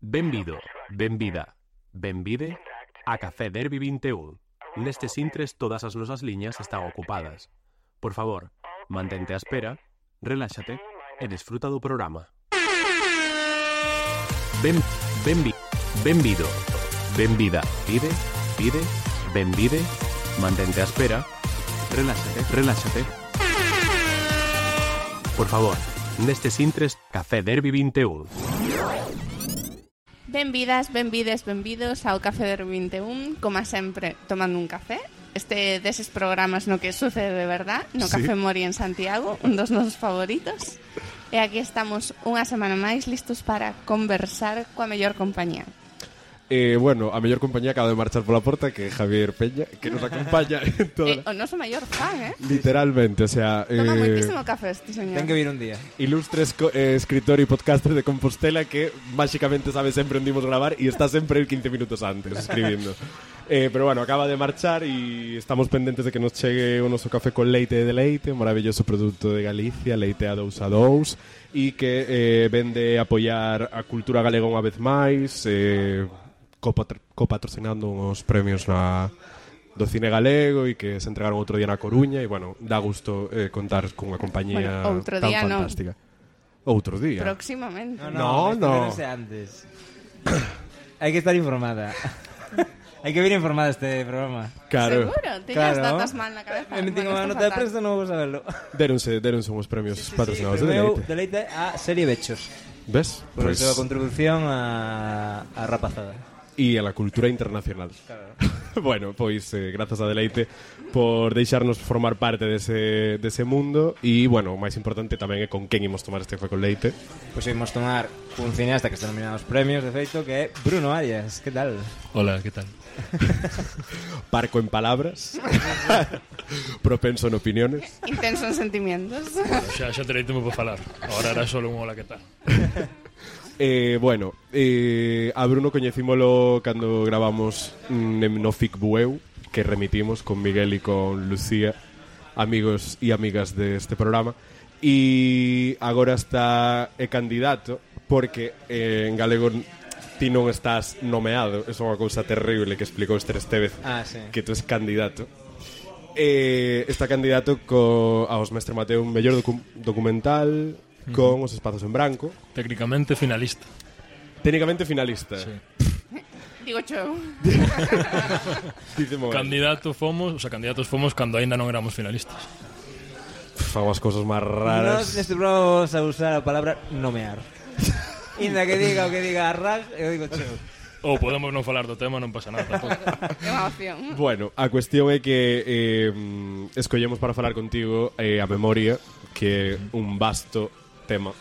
Benvido, benvida, benvide a Café Derby 21. Nestes intres todas as nosas liñas están ocupadas. Por favor, mantente á espera, reláxate e desfruta do programa. Benvido, benvida, pide, benvide, mantente á espera, reláxate. Por favor, nestes intres Café Derby 21. Benvidas, benvides, benvidos ao Café Derby 21, como sempre, tomando un café. Este deses programas no que sucede de verdad, no Sí. Café Mori en Santiago, un dos nosos favoritos. E aquí estamos unha semana máis listos para conversar coa mellor compañía. Bueno, a mellor compañía acaba de marchar pola porta, que é Javier Peña, que nos acompaña en toda... O noso maior fan, Literalmente, o sea... Toma moitísimo café este señor. Ten que vir un día. Ilustre escritor e podcaster de Compostela que máxicamente sabe sempre onde imos gravar e está sempre 15 minutos antes escribindo. Pero bueno, acaba de marchar e estamos pendentes de que nos chegue o noso café con leite de leite, un maravilloso produto de Galicia, leite a 2 e que vende apoiar a cultura galega unha vez máis, copatrocinando uns premios do cine galego e que se entregaron outro día na Coruña e, bueno, dá gusto contar cunha compañía Outro tan día fantástica. Outro día? Próximamente. No. No sé antes. Hai que estar informada. Hai que vir informada este programa. Claro. Seguro, teñas Claro. datas mal na cabeza. Me metín Bueno, unha está nota de fatal. prensa, non vou saberlo. Deronse uns premios patrocinados de Meu Deleite. deleite a serie Bechos. ¿Ves? Por Pues, a súa contribución a rapazada. e a la cultura internacional. Bueno, pois grazas a Deleite por deixarnos formar parte dese mundo e, bueno, o máis importante tamén é con quen imos tomar este café con leite. Pois imos tomar un cineasta que está nominado aos premios, de feito, que é Bruno Arias. Que tal? Hola, ¿qué tal? Parco en palabras. Propenso en opiniones. Intenso en sentimientos. Xa terei tempo para falar. Ahora era solo un hola, ¿qué tal? Bueno, a Bruno coñecímolo cando gravamos no FIC Bueu, que remitimos con Miguel e con Lucía, amigos e amigas deste programa, e agora está candidato porque en galego ti non estás nomeado. É unha cousa terrible que explicou Esther Estevez, Sí. que tú es candidato. Está candidato aos Mestre Mateo un mellor documental con Os espazos en branco. Técnicamente finalista. Técnicamente finalista. Sí. Digo yo. Dice Moguel. Candidatos fomos cando aínda non éramos finalistas. Fan as cousas máis Nos raras. neste programa vamos a usar a palabra nomear. Inda que diga o que diga Arras, eu digo cheo. Ou podemos non falar do tema, non pasa nada tampouco. É unha opción. Bueno, a cuestión é que escollemos para falar contigo a memoria, que é un vasto tema,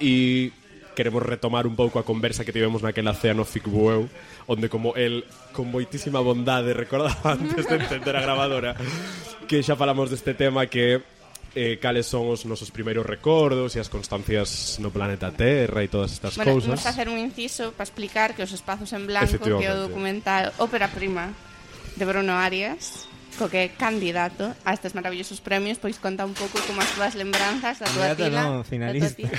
e queremos retomar un pouco a conversa que tivemos naquela cea no FIC Bueu, onde como el con moitísima bondade recordaba antes de encender a grabadora que xa falamos deste tema, que cales son os nosos primeiros recordos e as constancias no planeta Terra e todas estas Bueno, cousas. vamos a hacer un inciso para explicar que Os espazos en blanco, que é o Efectivamente. documental ópera prima de Bruno Arias, co que é candidato a estes maravillosos premios, pois conta un pouco como as túas lembranzas da tua Candidato tila. non, finalista. da tua tía.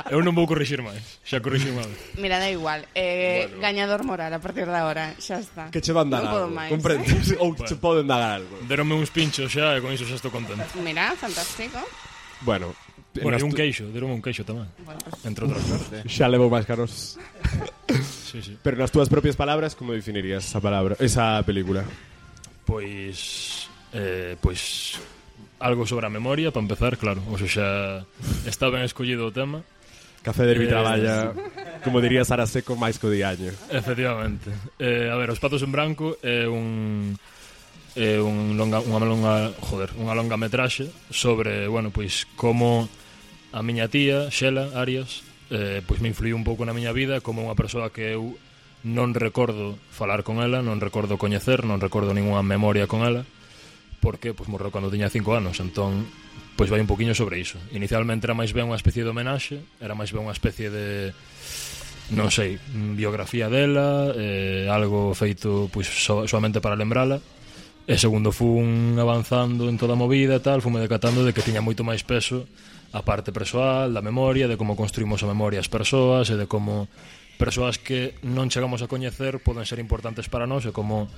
Eu non vou corrixir máis. Xa corrixi unha vez. Mira, da igual. Bueno. Gañador moral a partir de agora, xa está. Que che van dar Non podo algo, máis, comprendes? Ou che poden dar algo. Deronme uns pinchos xa e con iso xa estou contento. Mira, fantástico. Bueno, Bueno, e un nas queixo, deronme un queixo tamén. Bueno, pues, Entre outras cosas. xa levo máis caros. Sí, sí. Pero nas túas propias palabras, como definirías esa película? Pois algo sobre a memoria, para empezar, claro. O sea, xa está ben escollido o tema. Café Derby traballa, como diría Sara Seco, máis co diaño. Efectivamente. A ver, Os espazos en branco é unha longametraxe sobre, bueno, pois como a miña tía, Xela Arias, pois me influiu un pouco na miña vida, como unha persoa que eu non recordo falar con ela, non recordo coñecer, non recordo ninguna memoria con ela, porque pois morreu cando tiña 5 anos, entón pois vai un poquinho sobre iso. Inicialmente era máis ben unha especie de homenaxe, era máis ben unha especie de, non sei, biografía dela, algo feito pois solamente para lembrala. E segundo fun avanzando en toda a movida e tal, fume decatando de que tiña moito máis peso a parte persoal, da memoria, de como construímos a memoria as persoas e de como persoas que non chegamos a coñecer poden ser importantes para nós, e como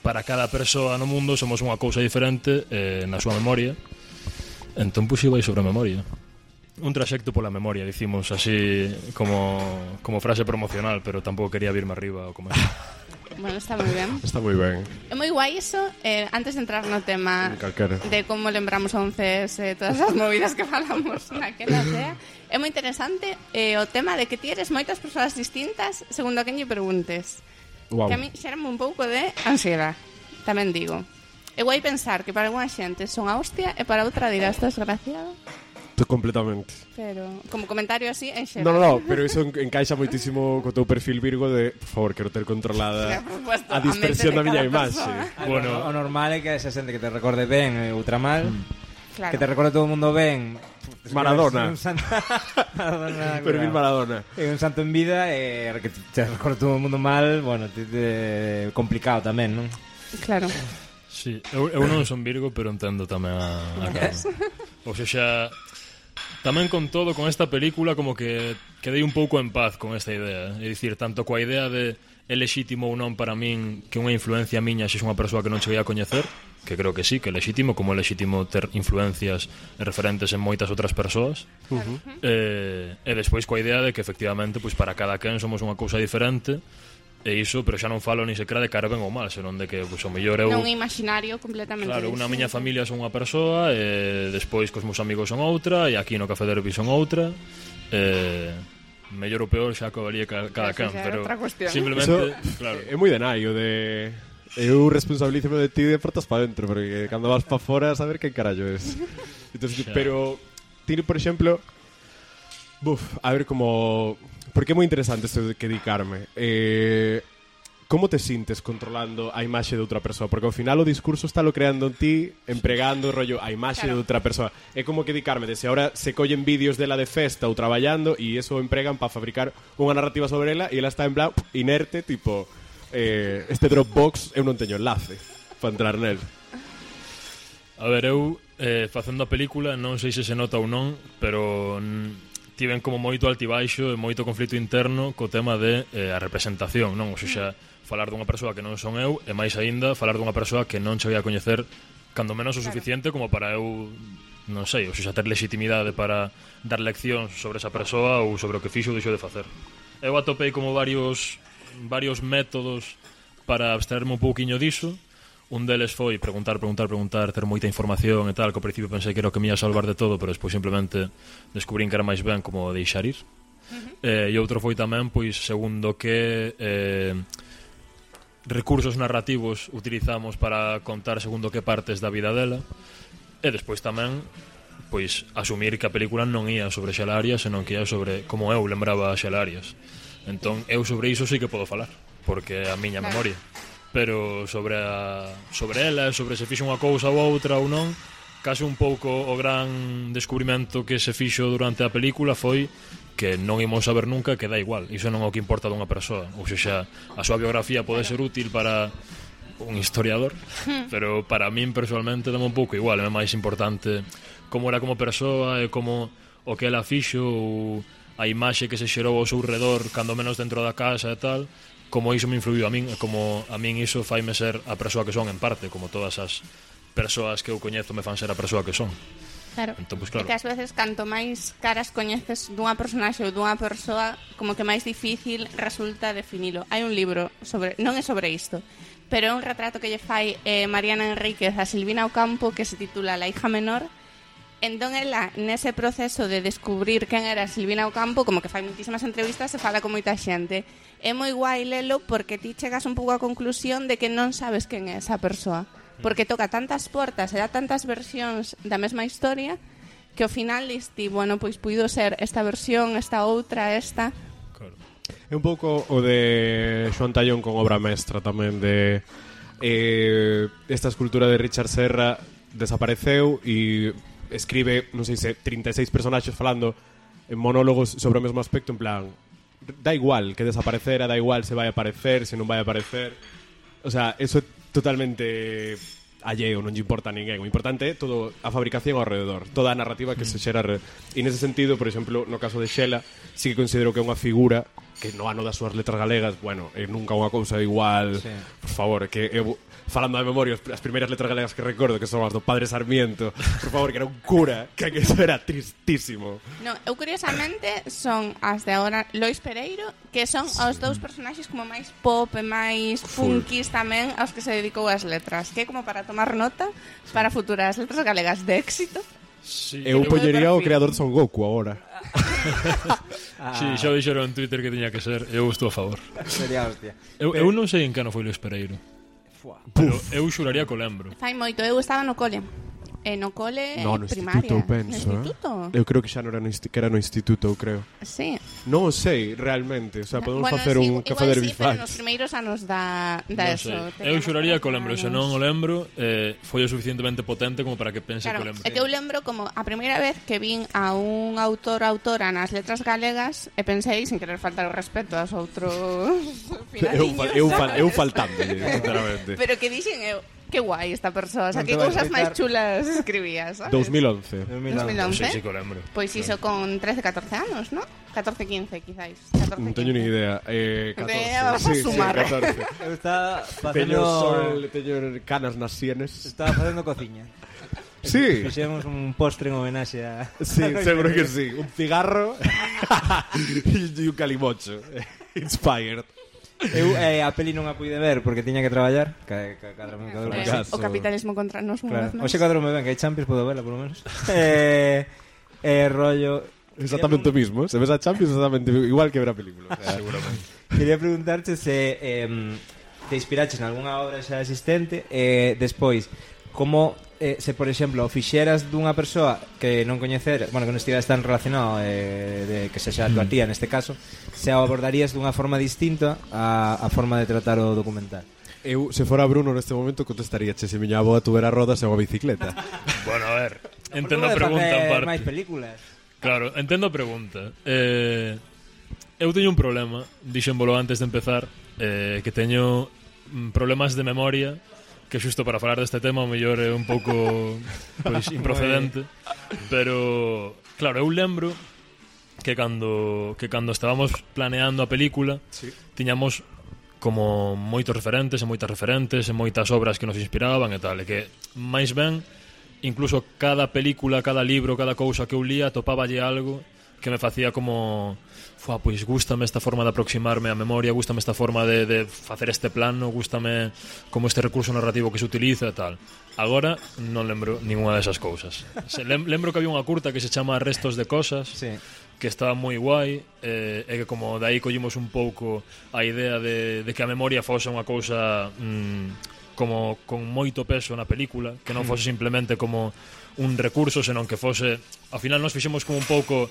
para cada persoa no mundo somos unha cousa diferente na súa memoria. Entón, pois, vai sobre a memoria. Un traxecto pola memoria, dicimos así como frase promocional, pero tampouco quería virme arriba ou como Bueno, está moi ben. Está moi ben. É moi guai iso, antes de entrar no tema Calquera. de como lembramos 11 todas as movidas que falamos naquela cea, é moi interesante o tema de que ti eres moitas persoas distintas segundo a quen lle preguntes. Wow. Que a mí xerame un pouco de ansiedade, tamén digo. É guai pensar que para alguna xente son a hostia e para outra dirá estás desgraciado. Completamente. Pero, como comentario así, en xeral. No, pero iso encaixa moitísimo co teu perfil Virgo de, por favor, quero ter controlada Por supuesto, a dispersión a da mente miña de cada imaxe. persoa. Bueno. O normal é que esa xente que te recorde ben outra mal, Claro. que te recorde todo o mundo ben. Maradona. Un santo, Maradona, Perfil Maradona. É un santo en vida e que te recorde todo o mundo mal, bueno, complicado tamén, non? Claro. Sí, eu non son Virgo, pero entendo tamén a Carmen. O sea, tamén con todo, con esta película, como que quedei un pouco en paz con esta idea. É dicir, tanto coa idea de é lexítimo ou non para min que unha influencia miña xe unha persoa que non cheguei a coñecer, que creo que sí, que é lexítimo, como é lexítimo ter influencias e referentes en moitas outras persoas. E despois coa idea de que efectivamente, pois para cada quen somos unha cousa diferente. E iso, pero xa non falo ni sequera de cara ben ou mal, senón de que, pois, o mellor eu... Non é imaginario completamente. Claro, unha distinto. miña familia son unha persoa, e despois cos meus amigos son outra, e aquí no Café Derby son outra. Mellor ou peor xa acabaría cada Eso can, xa é pero outra cuestión. simplemente, Eso claro. é moi de naio de... Eu responsabilízome de ti de portas para dentro, porque cando vas para fora a saber quen carallo es. Entonces, Xa. pero tiene, por exemplo, a ver como... Porque é moi interesante isto de que dedicarme. Como te sintes controlando a imaxe de outra persoa? Porque ao final o discurso está lo creando en ti, empregando rollo a imaxe Claro. de outra persoa. É como que dedicarme, de se ahora se collen vídeos dela de festa ou traballando e eso o empregan para fabricar unha narrativa sobre ela e ela está en plan inerte, tipo este Dropbox eu non teño enlace para entrar nel. A ver, eu facendo a película, non sei se se nota ou non, pero tiven como moito altibaixo e moito conflito interno co tema de a representación, non? O sea, falar dunha persoa que non son eu, e máis aínda falar dunha persoa que non cheguei a coñecer cando menos o suficiente como para eu, non sei, o sea, ter legitimidade para dar leccións sobre esa persoa ou sobre o que fixo ou deixou de facer. Eu atopei como varios métodos para abstraerme un pouquiño diso. Un deles foi preguntar, ter moita información e tal, que ao principio pensei que era o que me ia salvar de todo, pero despois simplemente descubrín que era máis ben como deixar ir. E outro foi tamén, pois, segundo que recursos narrativos utilizamos para contar segundo que partes da vida dela. E despois tamén, pois, asumir que a película non ia sobre Xela Arias, senón que ia sobre como eu lembraba a Xela Arias. Entón, eu sobre iso sí que podo falar, porque é a miña memoria. Pero sobre ela, sobre se fixo unha cousa ou outra ou non, case un pouco o gran descubrimento que se fixo durante a película foi que non imos saber nunca, que dá igual, iso non é o que importa dunha persoa. Ou seja, a súa biografía pode ser útil para un historiador, pero para min personalmente dame un pouco igual, é máis importante como era como persoa e como o que ela fixo ou a imaxe que se xerou ao seu redor cando menos dentro da casa e tal, como iso me influiu a min, e como a min iso faime ser a persoa que son en parte, como todas as persoas que eu coñezo me fan ser a persoa que son. Claro. Entón, pues, claro. E que ás veces canto máis caras coñeces dunha personaxe ou dunha persoa, como que máis difícil resulta definilo. Hai un libro sobre, non é sobre isto, pero é un retrato que lle fai Mariana Enríquez a Silvina Ocampo que se titula La hija menor. Entón ela, nese proceso de descubrir quen era Silvina Ocampo, como que fai moitísimas entrevistas e fala con moita xente. É moi guai lelo porque ti chegas un pouco á conclusión de que non sabes quen é esa persoa, porque toca tantas portas e dá tantas versións da mesma historia que ao final diste, bueno, pois puido ser esta versión, esta outra, esta. Claro. É un pouco o de Xoán Tallón con obra mestra tamén de esta escultura de Richard Serra desapareceu e escribe, non sei se 36 personaxes falando en monólogos sobre o mesmo aspecto, en plan, da igual que desaparecera, da igual se vai aparecer, se non vai aparecer. O sea, eso é totalmente alleo, non lle importa a ninguén. O importante é todo a fabricación ao rededor, toda a narrativa que se xera. E nese sentido, por exemplo, no caso de Xela, sí que considero que é unha figura que no ano das súas letras galegas, bueno, é nunca unha cousa igual. Sí. Por favor, que eu, falando de memoria, as primeiras letras galegas que recordo, que son as do Padre Sarmiento, por favor, que era un cura, que eso era tristísimo. No, eu curiosamente son as de agora Lois Pereiro, que son os dous personaxes como máis pop e máis punkis tamén aos que se dedicou as letras, que é como para tomar nota para futuras letras galegas de éxito. Sí, Eu poñería o perfil. creador de Son Goku agora. sí, xa dixeron en Twitter que tiña que ser. Eu estou a favor. Sería hostia. Eu non sei en que ano foi Luis Pereiro, pero eu xuraría que o lembro. Fai moito, eu estaba no cole. No cole No, no primaria. instituto, penso. No instituto? Eu creo que xa non era que era no instituto, eu creo. Sí. Non o sei, realmente. O sea, podemos Bueno, facer sí, un café igual de sí, pero nos Herbifans. primeiros anos da Non eso. sei. Eu xuraría que o lembro, se non o lembro, foi o suficientemente potente como para que pense Claro, que o lembro. é que eu lembro como a primeira vez que vin a un autor ou autora nas letras galegas e pensei, sin querer faltar o respeto aos outros finaliños, Eu faltando, sinceramente. pero que dixen eu, que guai esta persoa, o sea, Non que te vai cousas máis explicar. chulas escribía, sabes? 2011. 2011. Sí, que o lembro. Pois iso con 13, 14 anos, ¿no? 14, 15, quizáis. 14, Non teño 15. ni idea. 14. Vas a sumar. 14. Eu estaba Teño sol, facendo... teño canas nas sienes. Estaba facendo cociña. Sí. Fixemos un postre en homenaxe a... Sí, seguro que sí. Un cigarro e un calimocho. Inspired. Eu a peli non a puide ver porque tiña que traballar. Cadrome caso. O capitalismo contra nos unha vez Claro. máis. Oxe cadrome ben, que hai Champions, podo verla, por lo menos. Rollo... Exactamente o mismo. Se ves a Champions exactamente igual que ver a película. O sea, Seguramente. Quería preguntarte se te inspiraches en algunha obra xa existente despois, como se, por exemplo, fixeras dunha persoa que non coñecer, bueno, que non estiveras tan relacionado de que sexa a tua tía neste caso, se a abordarías dunha forma distinta a forma de tratar o documental. eu, se fora Bruno neste momento, contestaría: che, se miña avoa tuvera rodas e unha bicicleta. Bueno, a ver, entendo a Porque pode pregunta en facer parte. máis películas. Claro, entendo a pregunta. Eu teño un problema, dixémolo antes de empezar, que teño problemas de memoria, que xusto para falar deste tema o mellor é un pouco pois, improcedente, pero claro, eu lembro que cando estábamos planeando a película, tiñamos como moitos referentes e moitas referentes e moitas obras que nos inspiraban e tal, e que máis ben incluso cada película, cada libro, cada cousa que eu lía topáballe algo que me facía como pois gústame esta forma de aproximarme á memoria, gústame esta forma de facer este plano, gústame como este recurso narrativo que se utiliza e tal. Agora non lembro ninguna desas cousas. Lembro que había unha curta que se chama Restos de Cosas, Sí. que estaba moi guai, e que como dai collimos un pouco a idea de que a memoria fose unha cousa como con moito peso na película, que non fose simplemente como un recurso, senón que fose, ao final nos fixemos como un pouco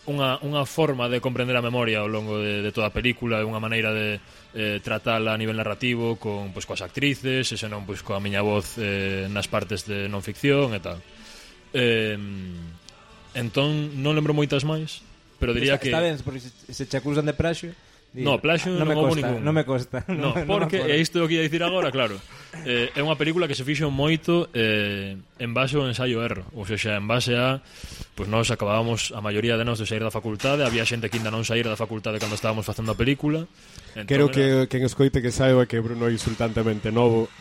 unha forma de comprender a memoria ao longo de toda a película, e unha maneira de tratala a nivel narrativo con pois coas actrices, e senón pois coa miña voz nas partes de non ficción e tal. Entón non lembro moitas máis, pero diría que Está ben, porque se che acusan de praxio. No, plaxio non me non houbo consta, ningún. non me consta. No, me porque, acordo. e isto é o que ia dicir agora, claro, é unha película que se fixo moito en base ao ensaio-erro, ou seja, en base a pois nós acabábamos a maioría de nós de sair da facultade, había xente que ainda non saíra da facultade cando estábamos facendo a película. Entón, Quero que quen escoite que saiba que Bruno é insultantemente novo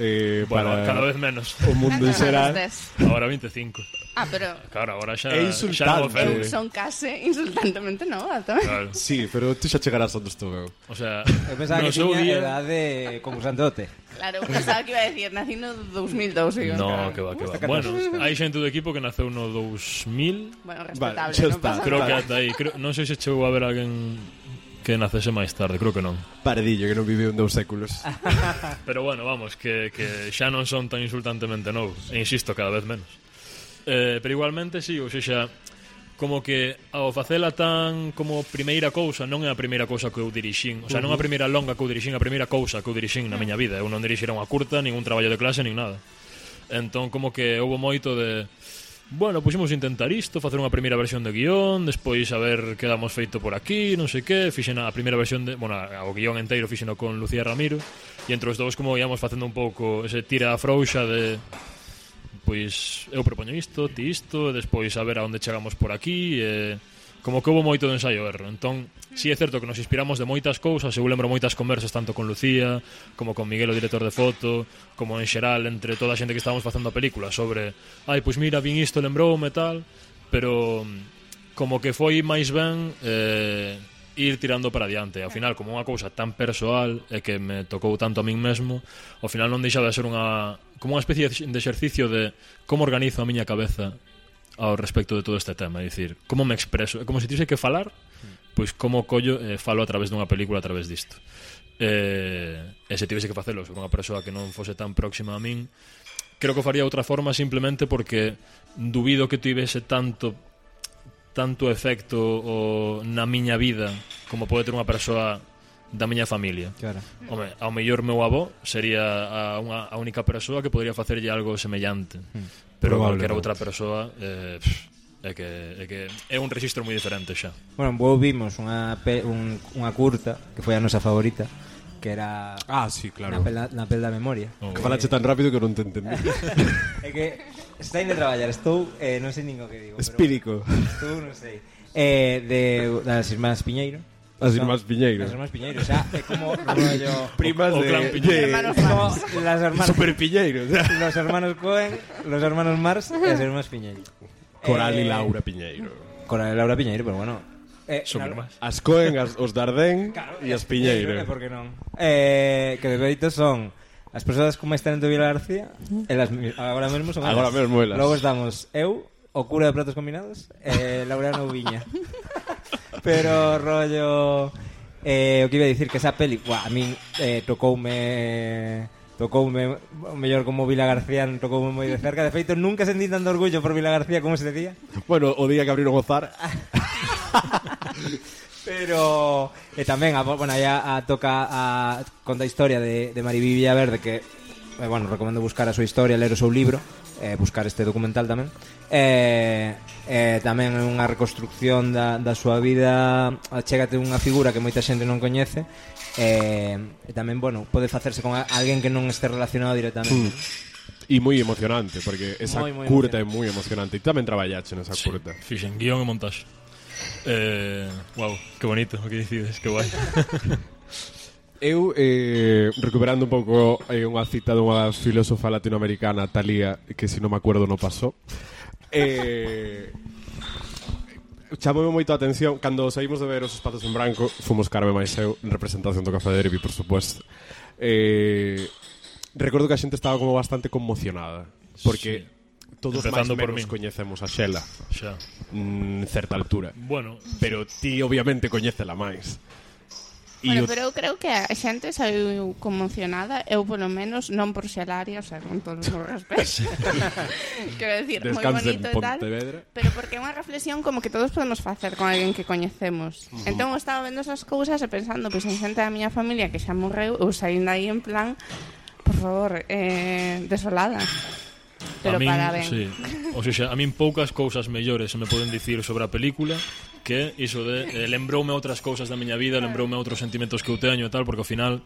bueno, para cada vez menos. o mundo en Cantos xeral. anos tes? Agora 25. Ah, pero Claro, agora xa É xa non o insultante. eu ofende. son case insultantemente nova tamén. Claro. Sí, pero tú xa chegarás onde estou eu. O sea, Eu pensaba no que seu tiña día edade concursante OTE. Claro, pensaba que iba a decir, nací no 2002. Digo, No, claro. que va, que va. Está Bueno, catastrófico. hai xente do equipo que naceu no 2000. Bueno, Vale, respetable, xa non está. pasa Creo nada. que ata aí, non sei se chegou a ver alguén que nacese máis tarde, creo que non. Paredillo que non viviu en 2 séculos. Pero bueno, vamos, que xa non son tan insultantemente novos. E insisto, cada vez menos. Pero igualmente, sí, ou seja, como que ao facela tan como primeira cousa, non é a primeira cousa que eu dirixín. O sea, non a primeira longa que eu dirixín, a primeira cousa que eu dirixín na miña vida. Eu non dirixira unha curta, ningún traballo de clase, nin nada. Entón, como que houve moito de bueno, puxemos intentar isto, facer unha primeira versión de guión, despois a ver que damos feito por aquí, non sei que, fixen a primeira versión de, bueno, o guión inteiro fixeno con Lucía Ramiro, e entre os dous como íamos facendo un pouco ese tira a frouxa de pois eu propoño isto, ti isto, e despois a ver a onde chegamos por aquí, e como que houve moito de ensaio erro. Entón, si é certo que nos inspiramos de moitas cousas, eu lembro moitas conversas tanto con Lucía, como con Miguel, o director de foto, como en xeral entre toda a xente que estábamos facendo a película sobre, pois mira, vin isto, lembroume tal, pero como que foi máis ben ir tirando para adiante. Ao final, como unha cousa tan persoal e que me tocou tanto a min mesmo, ao final non deixaba de ser como unha especie de exercicio de como organizo a miña cabeza ao respecto de todo este tema, é dicir, como me expreso, é como se tivese que falar, pois como collo falo a través dunha película, a través disto. E se tivese que facelo sobre unha persoa que non fose tan próxima a min, creo que faría outra forma simplemente porque dubido que tivese tanto efecto na miña vida como pode ter unha persoa da miña familia. Claro. Home, ao mellor meu avó sería a única persoa que podría facerlle algo semellante. Pero cualquier outra persoa é que é un rexistro moi diferente xa. Bueno, vos vimos unha curta que foi a nosa favorita, que era sí, claro. Na pel da memoria. Que falache tan rápido que non te entendí. É que está indo a traballar, estou non sei nin o que digo, Espírico. Estou non sei. Das irmás Piñeiro. As irmás Piñeiro. As irmás Piñeiro, o sea, é como rollo primas de hermanos Mars. Las hermanas Super Piñeiro, o sea. Los hermanos Cohen, los hermanos Mars e as irmás Piñeiro. Coral e Laura Piñeiro. Coral e Laura Piñeiro, pero bueno, son irmás. As Cohen, os Dardén e as Piñeiro. Por que non? Que de feito son as persoas como están en Vila García, elas agora mesmo son elas. Agora mesmo elas. Logo estamos eu, o cura de Pratos Combinados, Laureano Viña. Pero rollo o que iba a dicir que esa peli, a min tocoume o mellor como Vila García, tocoume moi de cerca. De feito, nunca sentí tanto orgullo por Vila García como ese día. Bueno, o día que abriron o Zar. Pero tamén conta a historia de Mariví Villaverde, que bueno, recomendo buscar a súa historia, ler o seu libro, buscar este documental tamén. Tamén é unha reconstrucción da súa vida, chégate unha figura que moita xente non coñece, e tamén, bueno, pode facerse con alguén que non este relacionado directamente. E moi emocionante, porque esa moi curta é moi emocionante. E tamén traballache nesa curta. Fixen guión e montaxe. Wow, que bonito o que decides, que guai. Eu, recuperando un pouco unha cita dunha filósofa latinoamericana, Thalía, que se non me acuerdo non pasou, chamoume moito a atención cando saímos de ver Os espazos en branco. Fomos Carme máis eu en representación do Café Derby, por supuesto. Recordo que a xente estaba como bastante conmocionada, porque todos máis ou menos coñecemos a Xela xa en certa altura. Bueno, pero ti obviamente coñécela máis. Bueno, pero eu creo que a xente saiu conmocionada, eu polo menos non por Xelaria, o sea, con todos os respetos. Quero decir, moi bonito e tal, pero porque é unha reflexión como que todos podemos facer con alguén que coñecemos. Entón eu estaba vendo esas cousas e pensando, pois en xente da miña familia que xa morreu, eu saindo aí en plan, por favor, desolada. Pero a min, para ben. Sí. O sea, a min poucas cousas mellores se me poden dicir sobre a película que iso de lembroume outras cousas da miña vida, lembroume outros sentimentos que eu teño e tal, porque ao final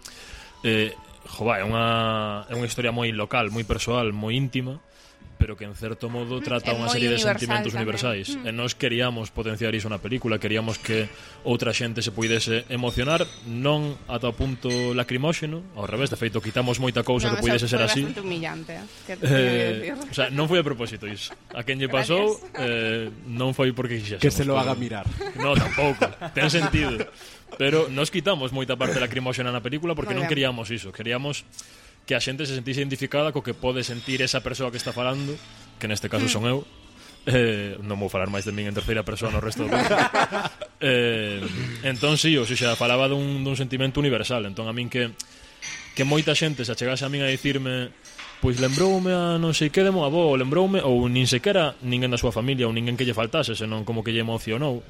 é unha historia moi local, moi persoal, moi íntima, pero que en certo modo trata unha serie de sentimentos universais. E nós queríamos potenciar iso na película, queríamos que outra xente se puidese emocionar, non ata o punto lacrimóxeno, ao revés, de feito quitamos moita cousa que puidese ser así. Foi bastante humillante, o sea, non foi a propósito iso. A quen lle pasou non foi porque quixésemos. Que se lo haga mirar. No, tampouco, ten sentido. Pero nos quitamos moita parte lacrimóxena na película porque non queríamos iso, queríamos que a xente se sentise identificada co que pode sentir esa persoa que está falando, que neste caso son eu. Non vou falar máis de min en terceira persoa no resto do tempo. Entón, sí, o sea, falaba dun sentimento universal. Entón, a min que moita xente se achegase a min a dicirme, pois lembroume a non sei que de mo avó, ou lembroume, ou nin sequera ninguén da súa familia, ou ninguén que lle faltase, senón como que lle emocionou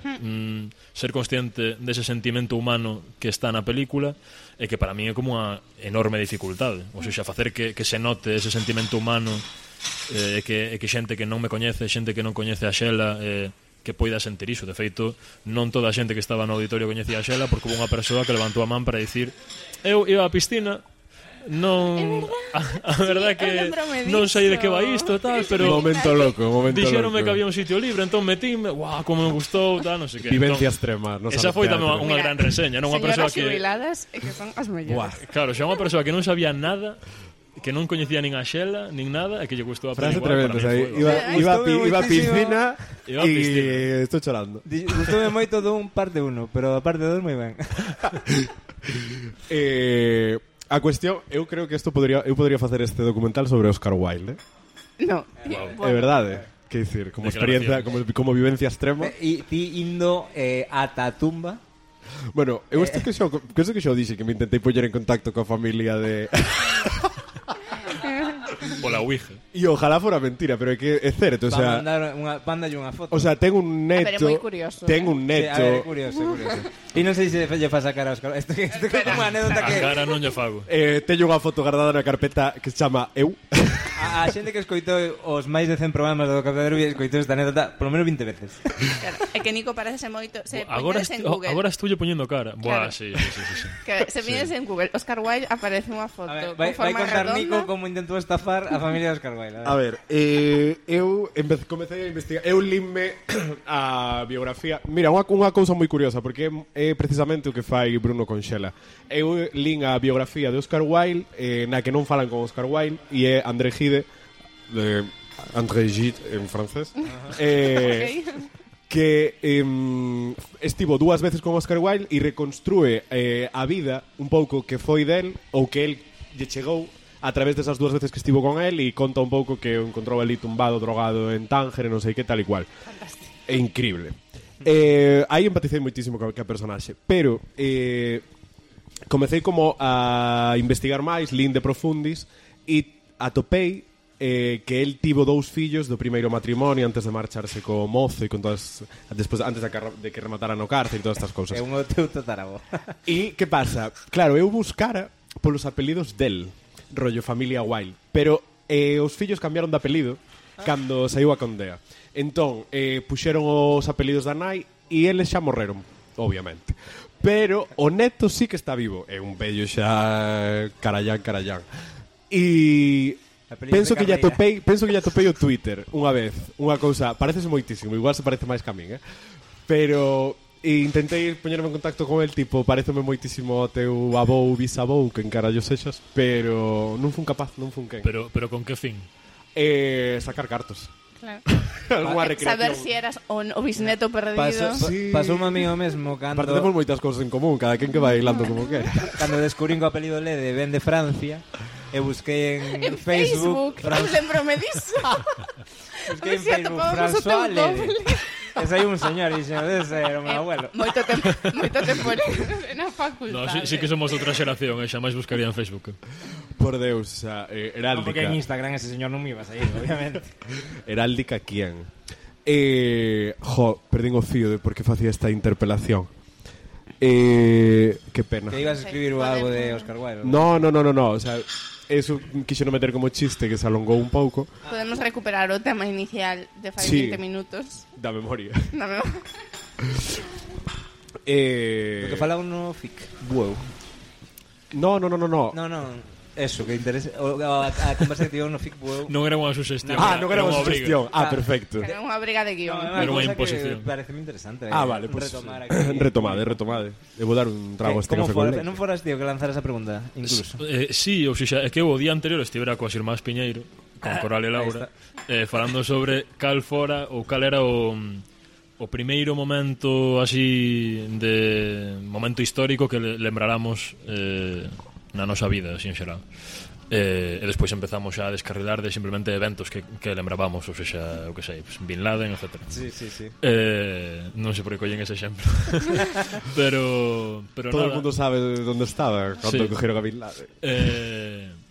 ser consciente dese sentimento humano que está na película, e que para mí é como unha enorme dificultade. O sea, facer que se note ese sentimento humano que xente que non me coñece, xente que non coñece a Xela, que poida sentir iso. De feito, non toda a xente que estaba no auditorio coñecía a Xela, porque hubo unha persoa que levantou a man para dicir: eu iba á piscina, non a verdade que non sei de que va isto tal, pero Momento loco. dixeronme que había un sitio libre, entón metíme, guau, como me gustou, tal, non sei que. Vivencia Entón, extrema. No esa foi tamén unha gran reseña, non unha persoa Señoras que xubiladas e que son as mellores. claro, xa unha persoa que non sabía nada, que non coñecía nin a Xela, nin nada, e que lle gustou a Frase peli, tremenda, para o mí sea, foi, iba a Gustoume piscina Iba a piscina. e estou chorando. Gustoume moito dun parte 1, pero a parte 2 moi ben. A cuestión, eu creo que eu podría facer este documental sobre Oscar Wilde, No. É verdade. Que dicir, como experiencia, como vivencia extrema. E ti indo ata a tumba. Bueno, eu isto que xa dixe que me intentei poñer en contacto coa familia de pola Ouija. e ojalá fora mentira, pero é que é certo, o sea, Mándalle unha foto. o sea, ten un pero é neto, moi curioso, ten un Sí, a ver, é neto. curioso, é curioso. E non sei se lle fa sacar a Oscar. Isto é como unha anécdota A que cara non lle fago. Teño unha foto guardada na carpeta que se chama Eu. a xente que escoitou os máis de 100 programas do Café Derby escoitou esta anécdota polo menos 20 veces. Claro, é que Nico parece moito, se Agora poñedes en Google. agora estulle poñendo cara. Buah, Claro. sí. Que se mides en Google, Oscar Wilde aparece unha foto A ver, con vai forma contar redonda. Nico como intentou estafar a familia de Oscar Wilde. A ver, eu comecei a investigar. Eu linme a biografía. Mira, unha cousa moi curiosa, porque é precisamente o que fai Bruno con Xela. Eu lin a biografía de Oscar Wilde, na que non falan con Oscar Wilde, e é André Gide, André Gide en francés, que estivo 2 veces con Oscar Wilde e reconstrúe a vida un pouco que foi del, ou que el lle chegou a través desas 2 veces que estivo con él, e conta un pouco que o encontrou ali tumbado, drogado en Tánger, non sei que, tal e cual. É increíble. Aí empaticei moitísimo ca personaxe, pero comecei como a investigar máis, lin de profundis, e atopei que el tivo 2 fillos do primeiro matrimonio antes de marcharse co mozo e con todas despois antes de que rematara no cárcel e todas estas cousas. É un teu tatarabo. E que pasa? Claro, eu buscara polos apelidos del, rollo familia Wilde, pero os fillos cambiaron de apelido cando saiu a condea. Entón, puxeron os apelidos da nai e eles xa morreron, obviamente. Pero o neto sí que está vivo. É un vello xa carallán. E penso que lle atopei o Twitter unha vez, unha cousa, parecese moitísimo, igual se parece máis que a min, pero intentei poñerme en contacto con el, tipo, pareceme moitísimo o teu avou, bisavou, que encarallo sexas, pero non fun capaz, non fun quen. Pero con que fin? Sacar cartos. Claro. Alguna recreación. Saber si eras o bisneto perdido. Pasou un amigo mesmo cando Aparte temos moitas cousas en común, cada quen que vai hilando como quere. cando descubrín que o apelido Lede ven de Francia e busquei en Facebook Eu lembrome diso. busquei en Si Facebook atopamos o teu François Lede. doble. Ese aí un señor, ese era o meu abuelo. Moito tempo na facultade. No, sí que somos outra xeración, xa máis buscaría en Facebook. Por Deus, o sea, No, porque heráldica. en Instagram ese señor non me iba a sair, obviamente. Heráldica quién? Perdín o fío de por que facía esta interpelación. Que pena. Que ibas a escribir algo de Oscar Wilde. No, o sea, eso quixeron meter como chiste que se alongou un pouco Podemos recuperar o tema inicial de fai Sí. 20 minutos. da memoria. Na me... Lo que falaba no FIC. Wow. No. No, eso, que interesa a conversa que tivemos no FIC wow. Non era unha suxestión. Non era unha unha obriga. sugestión. Perfecto. Era unha briga de guión. Era unha imposición. Parece moi interesante. Vale, pues retomar aquí. retomade. Debo dar un trago a este Como café con fora? leite. Non foras tío que lanzara esa pregunta, incluso. Sí, ou seja, é que o día anterior estivera coa Irmás Piñeiro, con Coral e Laura, falando sobre cal fora ou cal era o primeiro momento así de momento histórico que lembráramos na nosa vida, así en xeral. E despois empezamos xa a descarrilar de simplemente eventos que lembrábamos, ou seja, o que sei, pues, Bin Laden, etc. Sí. Non sei por que collen ese exemplo. pero Todo nada. el mundo sabe onde estaba cando Sí. cogeron a Bin Laden.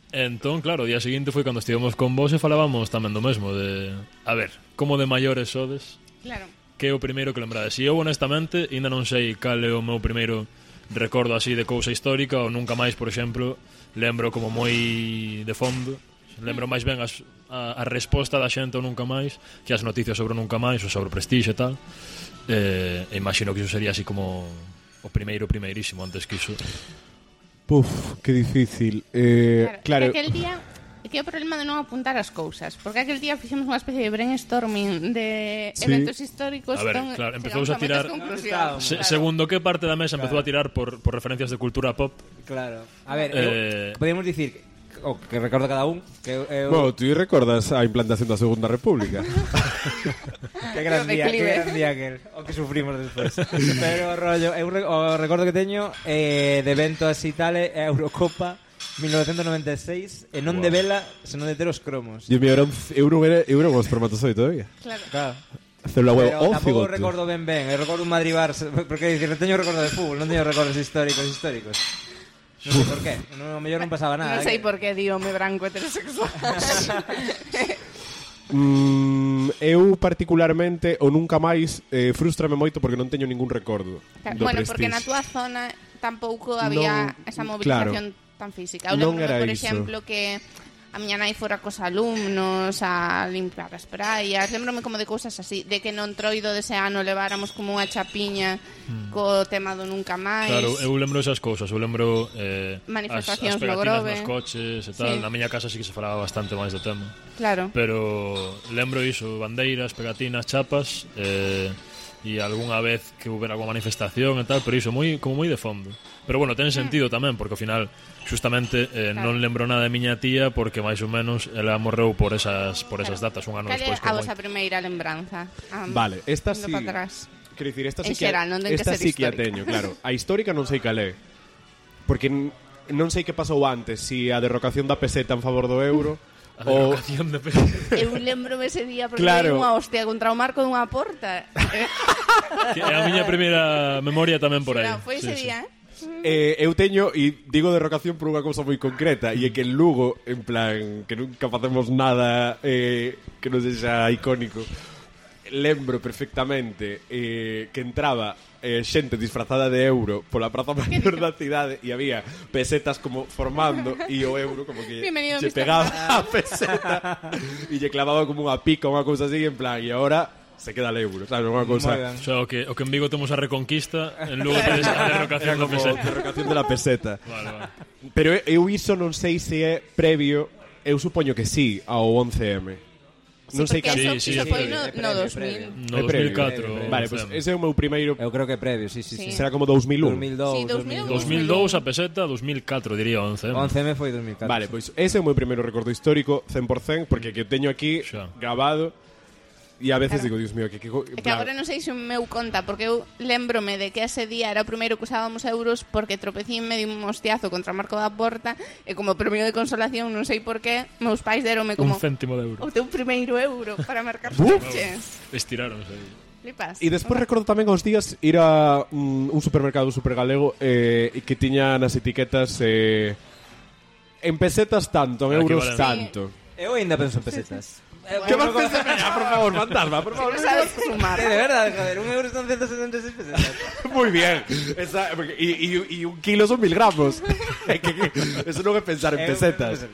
Entón, claro, o día seguinte foi cando estivemos con vos e falábamos tamén do mesmo de, a ver, como de maiores sodes, Claro. que é o primeiro que lembrades. E eu, honestamente, ainda non sei cal é o meu primeiro recordo así de cousa histórica, ou nunca máis, por exemplo, lembro como moi de fondo, lembro máis ben as a resposta da xente ao Nunca Máis, que as noticias sobre o Nunca Máis ou sobre o Prestige e tal. Imagino que iso sería así como o primeirísimo antes que iso. Puf, que difícil. Claro. Aquel día que é o problema de non apuntar as cousas, porque aquel día fixemos unha especie de brainstorming de eventos históricos. A ver, claro, empezouse a tirar segundo que parte da mesa empezou a tirar por referencias de cultura pop. Claro. A ver, podemos dicir o que recordo cada un que Bueno, tú recordas a implantación da Segunda República. Que gran día aquel, o que sufrimos despois. Pero rollo, o recordo que teño de evento así tal é a Eurocopa 1996 e non de vela, senón de ter os cromos. Dios mío, era un espermatozoide todavía. Claro. Célula huevo, pero tampouco recordo ben, eu recordo un Madrid-Barça, porque dicir, non teño recordo de fútbol, non teño recordos históricos. Non sei por qué, no mellor non pasaba nada. Non sei por qué, díome branco heterosexual. Eu particularmente o Nunca Máis frustrame moito porque non teño ningún recordo do Bueno, Prestige. porque na túa zona tampouco había esa movilización tan física. Eu Non lembro, era por iso. exemplo, que a miña nai fora cos alumnos a limpiar as praias. Lembrome como de cousas así, de que no entroido dese ano leváramos como unha chapiña co tema do Nunca Máis. Claro, eu lembro esas cousas, eu lembro manifestacións as pegatinas no Grove, nos coches e tal. Sí. Na miña casa sí que se falaba bastante máis do tema. Claro. Pero lembro iso, bandeiras, pegatinas, chapas e algunha vez que houbera alguna manifestación e tal, pero iso como moi de fondo. Pero bueno, ten sentido tamén, porque ao final justamente non lembro nada de miña tía porque máis ou menos ela morreu por esas datas, un ano Cal é despois. a vosa primeira lembranza? Vale, esta sí. Para atrás. Quero dicir, esta sí En que xeral, non ten que esta ser sí que a histórica. teño, claro. A histórica non sei cal é. Porque non sei que pasou antes, si a derrocación da peseta en favor do euro A derrocación de peseta. Eu lembro ese día porque Claro. dei unha hostia contra o marco dunha porta. Que é a miña primeira memoria tamén por aí. Claro, foi ese Sí, sí. día, eu teño, e digo derrocación por unha cousa moi concreta, e é que en Lugo, en plan, que nunca facemos nada que non sexa icónico, lembro perfectamente que entraba xente disfrazada de euro pola praza maior da cidade e había pesetas como formando e o euro como que Bienvenido, se Mr. pegaba a peseta e lle clavaba como unha pica, unha cousa así, en plan, e agora se queda el euro, sabes, unha cousa. O sea, o que en Vigo temos a Reconquista, en Lugo tedes a derrocación da peseta. Derrocación de la peseta. Vale. Pero eu iso non sei se é previo, eu supoño que sí, ao 11M. Non sei porque cal. eso foi no 2000. No É previo, 2004. Vale, pues ese é o meu primeiro. Eu creo que previo, sí. Será como 2001. 2002, Sí, 2002 a peseta, 2004 diría 11. 11M foi 2004. Vale, pois ese é o meu primeiro recordo histórico 100%, porque que teño aquí Xa. grabado e a veces Claro. digo, Dios mío, que É que agora non sei se o meu conta, porque eu lembrome de que ese día era o primeiro que usábamos euros porque tropecín medio un hostiazo contra o marco da porta e como premio de consolación, non sei por qué, meus pais deronme como Un céntimo de euro. o teu primeiro euro para marcar coches. Estiraronse aí. Flipas. E despois recordo tamén aos días ir a un supermercado super galego que tiña nas etiquetas en pesetas tanto, en euros Equivalente. tanto. Eu ainda penso en pesetas. Que vas pensar? Por favor, fantasma, por favor. Non sabes sumar. De verdade, joder, un euro son 176 pesetas. Muy bien. Y un kilo son 1000 gramos. Eso non é pensar en pesetas.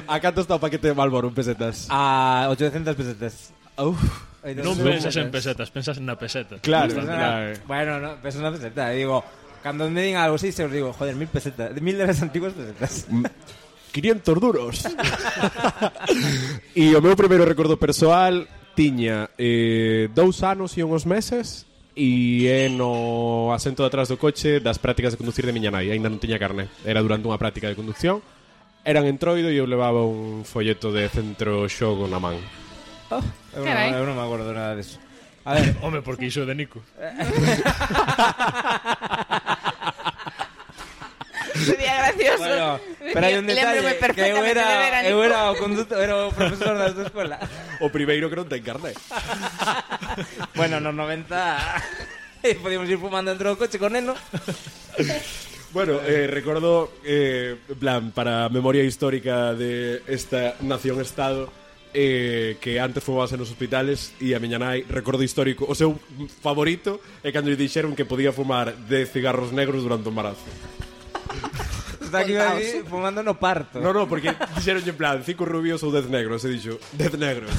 A canto está o paquete de Malboro en pesetas? A 800 pesetas. Uf. Non pensas en pesetas, pensas na peseta. Claro, Bastante. claro. Bueno, no, penso na peseta. E digo, cando me digan algo así, se os digo, joder, 1000 pesetas. 1000 de las antiguas pesetas. 500 duros. E o meu primeiro recordo persoal tiña 2 anos e uns meses e é no asento de atrás do coche das prácticas de conducir de miña nai. Ainda non tiña carné. Era durante unha práctica de conducción. Eran en Troido e eu levaba un folleto de centro xogo na man. Carai. Eu non me acordo nada disso. A ver, Home, porque iso é de Nico. Sería gracioso. bueno, pero hai un detalle Lémbrome que eu perfectamente de ver a eu Nico. era o conductor, era o profesor da escola. O primeiro que non ten carné. Bueno, nos 90 podíamos ir fumando dentro do coche con neno. Bueno, recordo, en plan, para a memoria histórica de esta nación-estado, que antes fumabase nos hospitales e a miña nai, recordo histórico, o seu favorito é cando lle dixeron que podía fumar 10 cigarros negros durante o embarazo. Está aquí contaos. fumando no parto. No, porque dixeron en plan 5 rubios ou 10 negros. E dixo, 10 negros.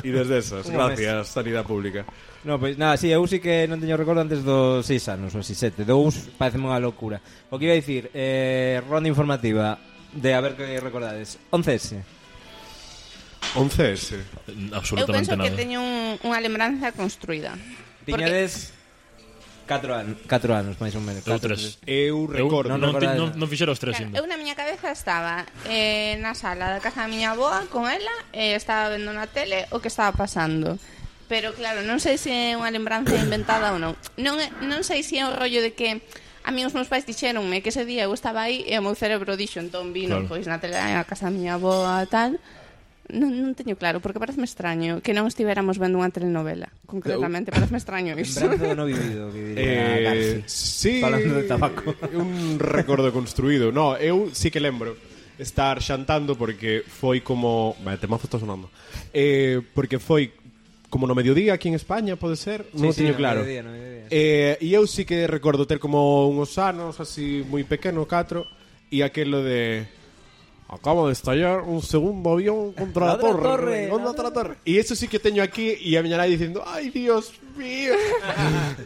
E desde esas, gracias, sanidade pública. No, pois nada, sí, eu sí que non teño recordo antes dos 6 anos, ou 6, 7. Dous parece unha locura. O que iba a dicir, ronda informativa de a ver que recordades. 11S. 11S. Eu Absolutamente penso que nada. teño unha lembranza construída. Tiñades 4 anos, máis ou menos. Eu 4, 3. Eu recordo. Non recordades nada. fixera os 3 Claro, ainda. eu na miña cabeza estaba na sala da casa da miña avoa con ela e estaba vendo na tele o que estaba pasando. Pero claro, non sei se é unha lembranza inventada ou non. Non sei se é o rollo de que a mí os meus pais dixeronme que ese día eu estaba aí e o meu cerebro dixo, entón vino, Claro. pois na tele na casa da miña avoa tal. Non teño claro, porque pareceme extraño que non estivéramos vendo unha telenovela. Concretamente, pareceme extraño iso. Lembranza do no vivido, que diría Garci. Sí, Falando de tabaco. Un recordo construído. No, eu sí que lembro estar xantando porque foi como... Vale, temazo está sonando. Porque foi como no mediodía aquí en España, pode ser? Non o teño claro. No mediodía. E eu sí que recordo ter como uns anos así moi pequeno, 4, e aquelo de... Acaba de estallar un segundo avión contra la torre. Contra la torre. E eso sí que teño aquí e a miña nai dicindo, ai, Dios mío.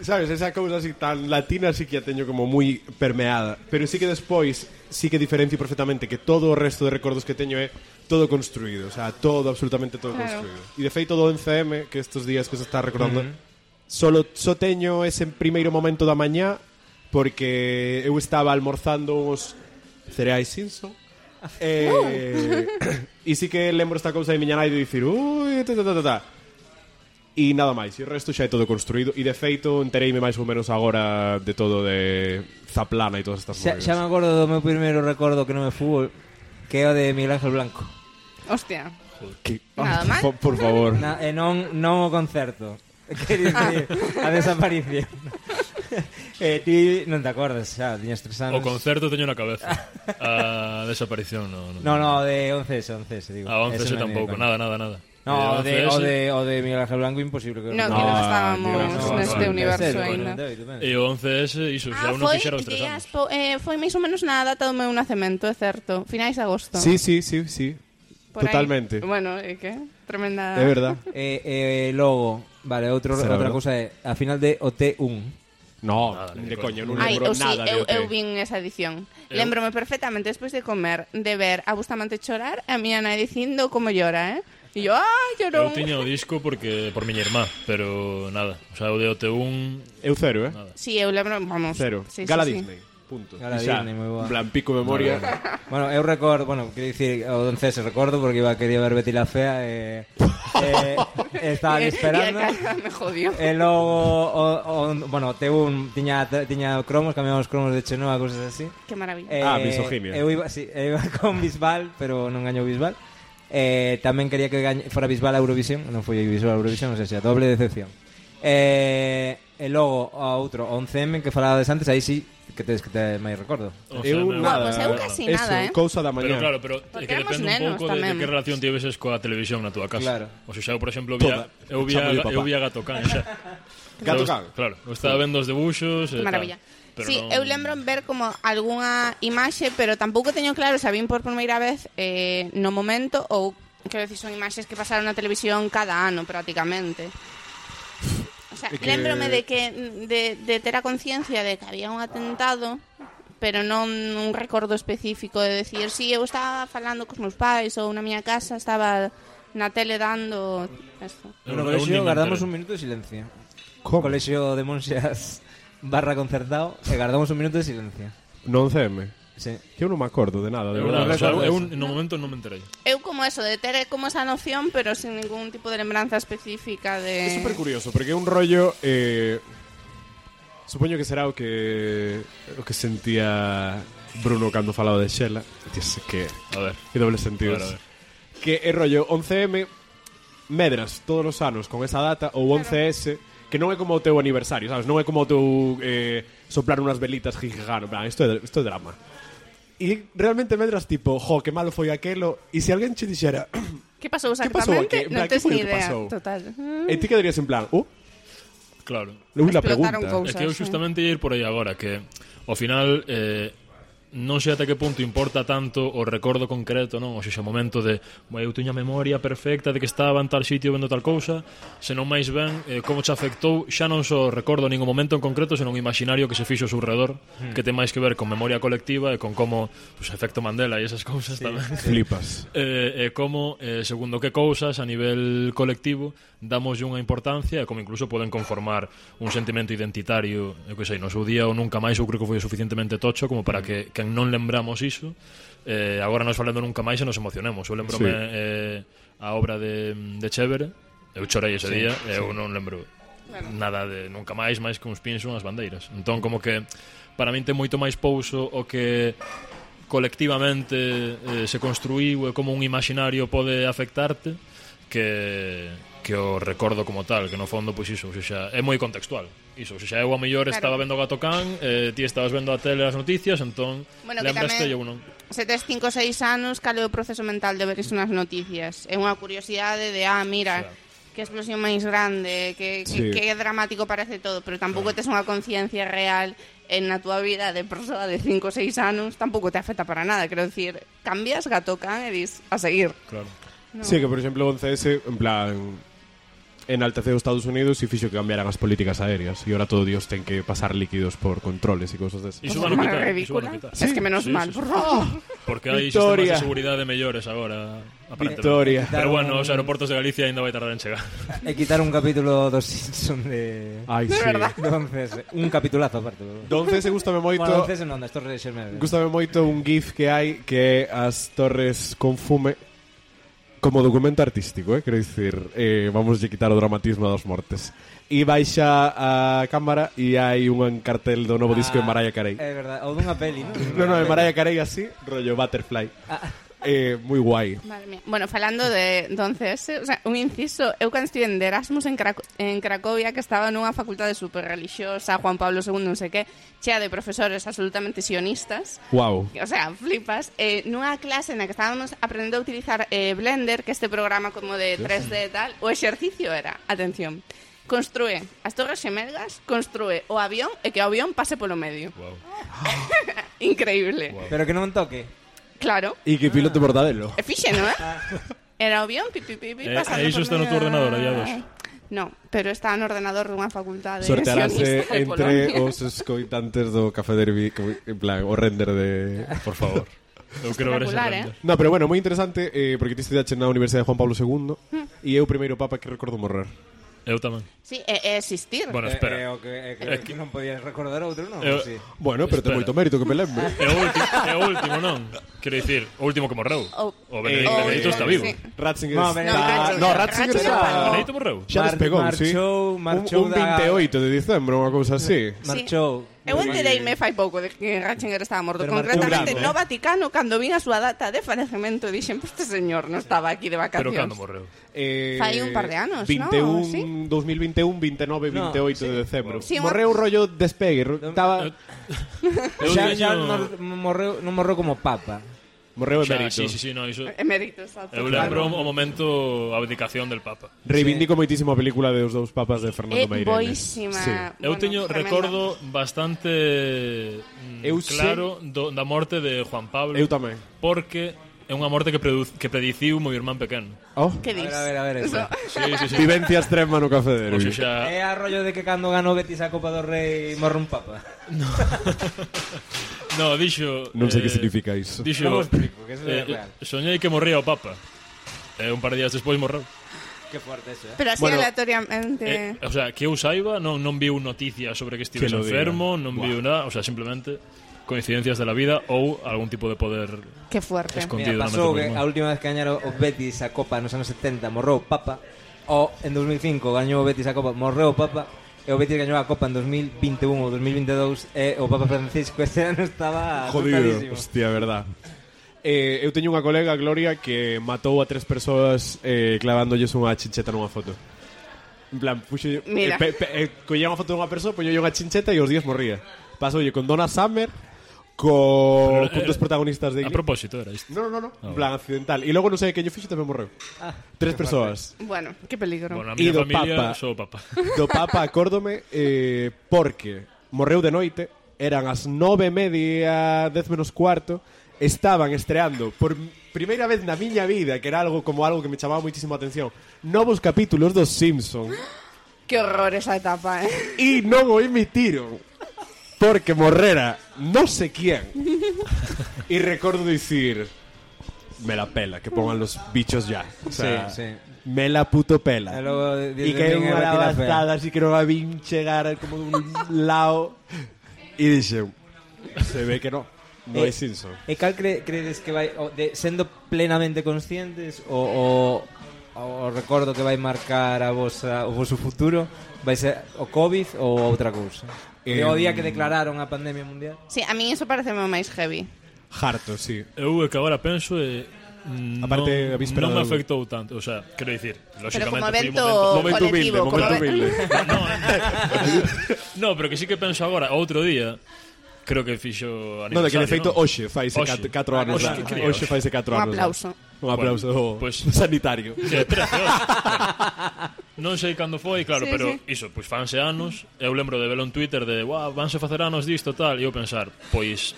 Sabes, esa cousa así tan latina sí que a teño como moi permeada. Pero sí que despois sí que diferencio perfectamente que todo o resto de recordos que teño é todo construído, o sea, todo, absolutamente todo Claro. construído. E de feito do NCM, que estes días que se está recordando, só teño ese primeiro momento da mañá porque eu estaba almorzando uns cereais Simpson. E sí que lembro esta cousa de miña nai de dicir ui, e nada máis, e o resto xa é todo construído e de feito entereime máis ou menos agora de todo de Zaplana e todas estas movidas. Xa me acordo do meu primeiro recordo que non é fútbol, que é o de Miguel Ángel Blanco. Hostia. Que- Nada máis? por favor. Non o concerto. Quer dicir, a desaparición. Ti non te acordas, xa, tiñas 3 anos. O concerto teño na cabeza. A desaparición No, de 11S, digo. A 11 Ese non tampouco, me nada. No, De 11S, o de Miguel Ángel Blanco imposible que No, que No, non estábamos no, neste no, universo no, ainda. E o 11S, iso, xa non foi fixera os 3 anos. foi máis ou menos na data do meu nacemento, é certo. Finais de agosto. Sí. Por aí. Totalmente. Bueno, é que tremenda. É verdad. Logo, vale, outra verdad. cousa é a final de OT1. No, Nada, de ni de coño, non Ai, lembro eu sí, nada de eu OT. vin esa edición. Eu- Lémbrome perfectamente despois de comer, de ver a Bustamante chorar, a miña nai dicindo como llora, E yo, llorón. Eu tiña o disco por miña irmá, pero nada. O sea, o de OT1... Eu cero, Sí, eu lembro, vamos. Cero. Sí, Gala sí, sí. Disney. Punto. Gala E xa, Disney, moi boa. en plan, pico memoria. Bueno, eu recordo, quero dicir, o 11S recordo porque quería ver Betty la Fea estaba ali esperando. E a casa me jodió. E logo T1 tiña cromos, cambiamos cromos de Chenoa, cousas así. Qué maravilla. misoginia. Eu iba con Bisbal, pero non gañou Bisbal. Tamén quería que fora Bisbal a Eurovisión, non foi Bisbal a Eurovisión, non sei se a doble decepción. E logo a outro 11M que falabades antes, aí sí que te máis recordo. Eu nada. Pues eu casi eso, nada, cousa da Pero mañá. claro, pero Porque é que éramos depende un nenos pouco de tamén. que relación tiveses coa televisión na túa casa. Claro. O sea, eu, por exemplo, Toda. eu vía Chamo de papá. Gato Can xa. Gato Can. Claro, eu estaba vendo os debuxos Que e maravilla. tal. Pero Sí, non- eu lembro ver como algunha imaxe, pero tampouco teño claro se a vin por primeira vez no momento ou, quero dicir, son imaxes que pasaron na televisión cada ano prácticamente. O sea, É que- lembrome de que de ter a conciencia de que había un atentado, pero non un recordo específico de decir, si eu estaba falando cos meus pais ou na miña casa estaba na tele dando esto. No Eu colexio nin me guardamos enterei. un minuto de silencio. Como? Colexio de Monxas / concertado e guardamos un minuto de silencio. No 11M. Sí. Que eu non me acordo de nada, de Eu, verdade. o sea, recordo eu eso. no momento non me enterei. Eu como eso, de ter como esa noción, pero sin ningún tipo de lembranza específica de... É super curioso, porque é un rollo supoño que será o que sentía Bruno cando falaba de Xela. Dice que A ver. doble sentido. A ver. Que é rollo 11M medras todos os anos con esa data ou 11S que non é como o teu aniversario, sabes? Non é como o teu soplar unhas velitas jijijano, en plan, isto é drama. E realmente medras tipo, jo, que malo foi aquelo, e se alguén che dixera Que pasou Que pasou exactamente? aquí? En Non plan, que tes foi o ni que idea. pasou? Total. e ti quedarías en plan, Claro. la pregunta. Explotaron cousas. É que eu justamente ia ir por aí agora, que ao final non sei ata que punto importa tanto o recordo concreto, non? O seja, o momento de eu teño a memoria perfecta de que estaba en tal sitio vendo tal cousa, senón máis ben como te afectou, xa non só recordo ningún momento en concreto, senón o imaginario que se fixo ao seu redor, que ten máis que ver con memoria colectiva e con como, pues, efecto Mandela e esas cousas tamén. Flipas. E como, segundo que cousas a nivel colectivo damos unha importancia e como incluso poden conformar un sentimento identitario, eu que sei, no seu día ou nunca máis, eu creo que foi suficientemente tocho como para que non lembramos iso, agora nos falando nunca máis e nos emocionemos. Eu lembrome a obra de Chévere, eu chorei ese día e eu non lembro nada de nunca máis que uns pins e unhas bandeiras. Entón, como que para min ten moito máis pouso o que colectivamente se construíu e como un imaginario pode afectarte que o recordo como tal, que no fondo, pois iso, xa, é moi contextual. Iso, xa eu a mellor estaba vendo Gato Can, ti estabas vendo a tele as noticias, entón lembraste e eu non. Se tes 5 ou 6 anos, cal é o proceso mental de ver iso nas noticias? É unha curiosidade de, mira, que explosión máis grande, que dramático parece todo, pero tampouco tes unha conciencia real na túa vida de persoa de 5 ou 6 anos, tampouco te afecta para nada, quero dicir, cambias Gato Can e dis, a seguir. Claro. No. Sí, que por exemplo o 11S, en plan, enalteceu Estados Unidos e fixo que cambiaran as políticas aéreas e ahora todo Dios ten que pasar líquidos por controles e cousas desas. Iso van a quitar. Es que menos mal, por favor. Porque hai sistemas de seguridade mellores agora, aparentemente. Victoria. Pero bueno, os aeroportos de Galicia ainda vai tardar en chegar. E quitar un capítulo dos Simpsons de... Ai, De sí. verdad. Do 11S. Un capitulazo aparte. Do 11S gústame moito. Bueno, 11S non, das Torres de Xermede. Gústame moito un gif que hai que é as torres con fume como documento artístico, quero dicir, vamos a quitar o dramatismo das mortes. E baixa a cámara e hai un cartel do novo disco de Mariah Carey. É verdade, ou dunha peli, non? No, de Mariah Carey así, rollo Butterfly. Moi guai. Madre mía. Bueno, falando de entonces, o sea, un inciso, eu cando estive en Erasmus en Cracovia, que estaba nunha facultade super religiosa, Juan Pablo II, non sei que, chea de profesores absolutamente sionistas. Wow. O sea, flipas. Nunha clase na que estábamos aprendendo a utilizar Blender, que este programa como de 3D e tal, o exercicio era, atención, construe as Torres Xemelgas, construe o avión e que o avión pase polo medio. Wow. Increíble. Wow. Pero que non toque. Claro. E que piloto mortadelo. E fixe, non é? Era o avión, pasando iso por está no medio teu ordenador, da- a día dos. No, pero está no ordenador dunha facultade Sortearase sionista de entre Polonia. os escoitantes do Café Derby, en plan, o render de... Por favor. Eu quero ver ese Espectacular, render. No, pero bueno, moi interesante, porque ti estudiaste na Universidade de Juan Pablo II e é o primeiro papa que recordo morrer. Eu tamén. Sí, é existir. Bueno, espera. Que non podías recordar outro, non? Sí. Bueno, pero ten Espera. moito mérito que me lembre. É o último, non? Quero dicir, o último que morreu. O Benedito está vivo. Sí. Ratzinger No, está... no, No, Ratzinger Ratzinger está... está- Benedito morreu. Xa despegou, sí. Marchou Un 28 de dicembro, unha cousa así. Marchou. Eu entereime fai pouco de que Ratzinger estaba morto. Pero Concretamente marchou no grande, Vaticano, cando vin a súa data de falecemento, dixen, este señor non estaba aquí de Pero cando vacacións. morreu? Fai un par de anos, 21, ¿no? Sí. 2021, 29, No, 28 sí. de decembro. Sí, Morreu rollo despegue. Estaba... Eu Xa teño- non morreu como papa. Morreu Xa, emérito. sí, no, iso... Emérito, exacto. Eu lembro o momento a abdicación del Papa. Reivindico moitísimo a película de Os dous papas de Fernando É Meirelles. boísima. Sí. Eu Bueno, teño tremenda. recordo bastante Eu claro da morte de Juan Pablo. Eu tamén. Porque é unha morte que prediciu meu irmán pequeno. Oh. Que dis? A ver, eso. Sí. Vivencia extrema no Café O Derby. sea, É a rollo de que cando ganou Betis a Copa do Rei morre un papa. no, dixo... Non sei que significa iso. Dixo, Non vos explico, que eso é real. soñei que morría o Papa. E un par de días despois morreu. Que fuerte eso, Pero así Bueno, aleatoriamente. O sea, que eu saiba, non viu noticias sobre que estivese Que lo diga. enfermo, non viu nada, o sea, simplemente coincidencias de la vida ou algún tipo de poder Qué fuerte. escondido Mira, na mente pasou do que irmán. a última vez que gañaron o Betis a Copa nos anos 70 morreu o Papa, o en 2005 gañou o Betis a Copa, morreu o Papa, e o Betis gañou a Copa en 2021 ou 2022 e o Papa Francisco este ano estaba Jodido, asustadísimo. hostia, verdad. Eu teño unha colega, Gloria, que matou a 3 persoas clavándolles unha chincheta nunha foto. En plan, puxo, Mira. collía unha foto dunha persoa, poñolle unha chincheta e os días morría. Pasoulle con Donna Summer, con dos protagonistas de A propósito era isto. No. En plan, accidental. E logo non sei que yo fixo tamén morreu. 3 persoas. Bueno, qué peligro. Bueno, a E miña do familia Papa. sou o Papa. Do Papa acórdome porque morreu de noite eran as 9:30, 10 menos cuarto, estaban estreando por primeira vez na miña vida, que era algo que me chamaba muitísimo a atención, novos capítulos dos Simpson. Que horror esa etapa, E non o emitiron porque morrera non sé quién. E recordo dicir, me la pela, que pongan los bichos ya. O sea, sí. me la puto pela. E Que é unha lavazada, así que non a vin chegar como dun lado. E dixen, se ve que non é Simpson. E cal credes que vai sendo plenamente conscientes o recordo que vai marcar o vosso futuro vai ser o COVID ou outra cousa? O día que declararon a pandemia mundial? Sí, a mí eso parece máis heavy. Harto, sí. Eu que agora penso Aparte, a víspera non me do- afectou tanto, o sea, quero dicir, Pero lógicamente como foi un evento Momento humilde, colectivo, momento humilde. No, pero que sí que penso agora, outro día, creo que fixo Non, de que de feito non? hoxe faise Hoxe. 4 anos. Hoxe, que críos. Hoxe faise 4 Un anos. aplauso. Un aplauso Pues- sanitario. Que 13 hoxe. Non sei cando foi, claro, Sí, pero sí. iso, pois fanse anos. Eu lembro de velo en Twitter de, vanse facer anos disto tal, e eu pensar, pois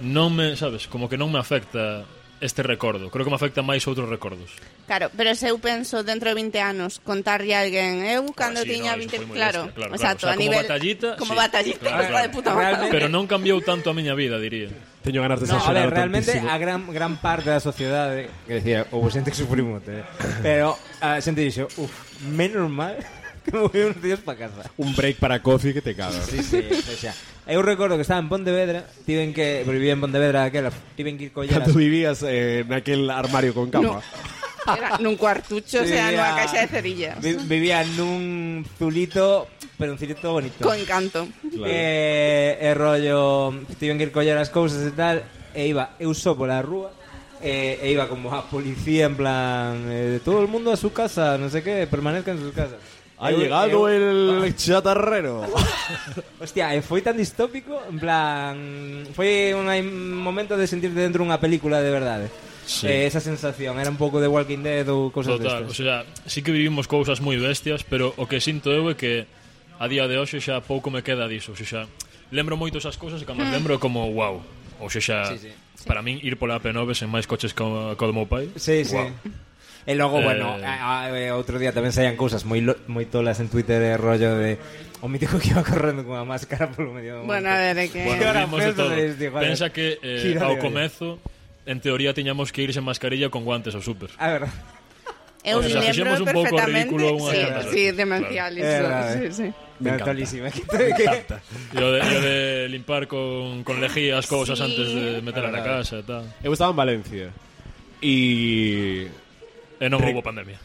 non me, sabes, como que non me afecta este recordo. Creo que me afecta máis outros recordos. Claro, pero se eu penso dentro de 20 anos contarlle a alguén, eu cando sí, tiña no, eso 20, foi moi claro, bestia, claro, exacto, claro. O sea, a como nivel batallita, como sí. batallita, Claro, de puta madre. Realmente- Pero non cambiou tanto a miña vida, diría. Teño ganas de No, a exagerar ver, realmente tantísimo. a gran parte da sociedade, que decía, houve xente que sufriu moito, pero a xente dixo, menos mal que me voy uns días para casa. Un break para coffee que te cagas. Sí, o sea, eu recordo que estaba en Pontevedra, vivía en Pontevedra aquela, tiven que ir coller Cando vivías naquel armario con cama. Era nun cuartucho, o sea, Vivía- nunha caixa de cerillas. Vivía nun zulito, pero un zulito bonito. Con encanto. Claro. E rollo, tiven que ir coller as cousas e tal, e iba eu só pola rúa, e iba como a policía en plan, todo el mundo a su casa, no sé qué, permanezcan en sus casas. Ha llegado el chatarrero. Hostia, foi tan distópico, en plan, foi un momento de sentirte dentro dunha película de verdade. Sí. Esa sensación, era un pouco de Walking Dead ou cosas Total, o destas. sea, sí que vivimos cousas moi bestias, pero o que sinto eu é que a día de hoxe xa pouco me queda diso, o sea, lembro moito esas cousas e cando as lembro como wow. O sea, Sí. para min ir pola P9 sen máis coches co do meu pai. Sí, sí. Wow. E logo, Eh, bueno, outro día tamén saían cousas moi tolas en Twitter, rollo de o mítico que iba correndo con a máscara polo medio do monte. Bueno, a ver, é que... Bueno, Ahora vivimos de penso todo. de este, joder. Pensa que Gira ao de olla. comezo en teoría tiñamos que ir sen mascarilla con guantes ao súper. A ver, Eu O sea, lembro fixemos un pouco perfectamente, ridículo unha sí, certa sí, vez. demencial Claro. iso, verdade. sí, sí. Me encanta. mentalísima. E o de limpar con lejía as cousas Sí. antes de meterla na casa e tal. Eu estaba en Valencia. E E non houve pandemia.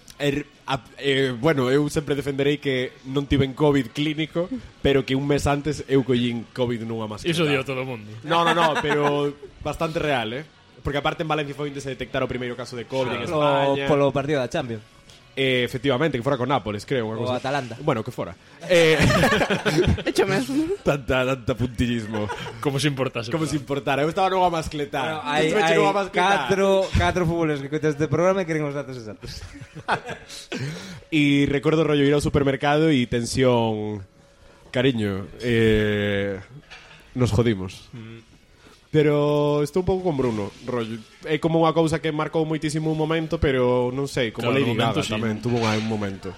bueno, eu sempre defenderei que non tiven COVID clínico, pero que un mes antes eu collín COVID nunha máscara. Iso dio todo o mundo. No, pero bastante real, Porque aparte en Valencia foi onde se detectara o primeiro caso de COVID en España. Polo partido da Champions. Efectivamente, que fora con Nápoles, creo. O Atalanta. Bueno, que fora. Hecho mesmo. tanta puntillismo. Como se importase. Como se importara. Eu estaba nunha mascleta. Bueno, hai catro fútboles que coitas este programa e queren os datos exactos. Y recuerdo rollo ir ao supermercado y tensión. Cariño, nos jodimos. Pero estou un pouco con Bruno, rollo. É como unha cousa que marcou moitísimo un momento, pero non sei, como Claro, Lady no momento Gaga sí. tamén tuvo un momento.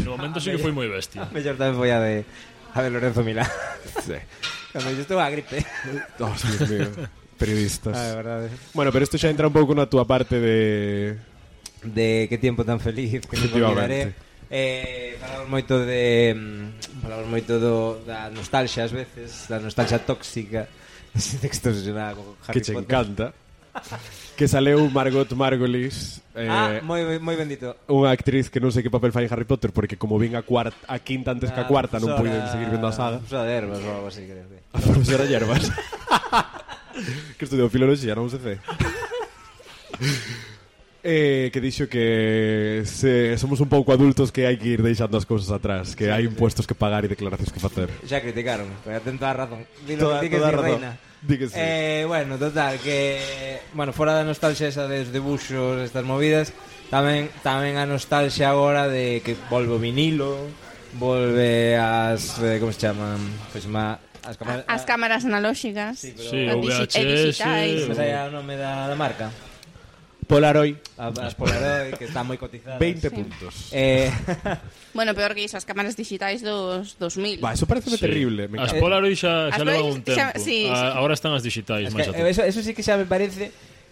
No momento sí que foi moi bestia. Mellor tamén foi a de Lorenzo Milán. Sí. Cando yo estuve a gripe. Oh, Dios mío. Periodistas. Ah, de verdade. Bueno, pero isto xa entra un pouco na túa parte de... De que tiempo tan feliz que me olvidaré. Falamos moito da nostalgia ás veces, da nostalgia tóxica. Ese texto se llama Harry que che Potter. encanta. Que saleu Margot Margolis, moi bendito. unha actriz que non sei que papel fai en Harry Potter, porque como vin a quinta antes que a cuarta non puiden seguir vendo a saga. Profesora de Herbas ou algo así, creo que. A profesora Yerbas. Que estudiou filoloxía, non sei. Que dixo que somos un pouco adultos que hai que ir deixando as cousas atrás, que hai impuestos que pagar e declaracións que facer. Xa criticaron, pero ten toda a razón. Dilo, Toda di que a sí, razón. reina. Di que sí. Bueno, total, que fora da nostalgia esa dos debuxos, estas movidas, tamén a nostalgia agora de que volve o vinilo, volve as como se chaman, pois As cámaras analóxicas. Sí, e VHS. digitais. Mas aí o nome da marca. Polaroid, As Polaroid, que están moi cotizadas. 20 puntos. Bueno, peor que iso, as cámaras digitais dos 2000. Eso parece terrible. Me As encanta. Polaroid xa As levan Polaroid un tempo. xa- sí. Agora están as digitais Es máis que, a tope. eso sí que xa me parece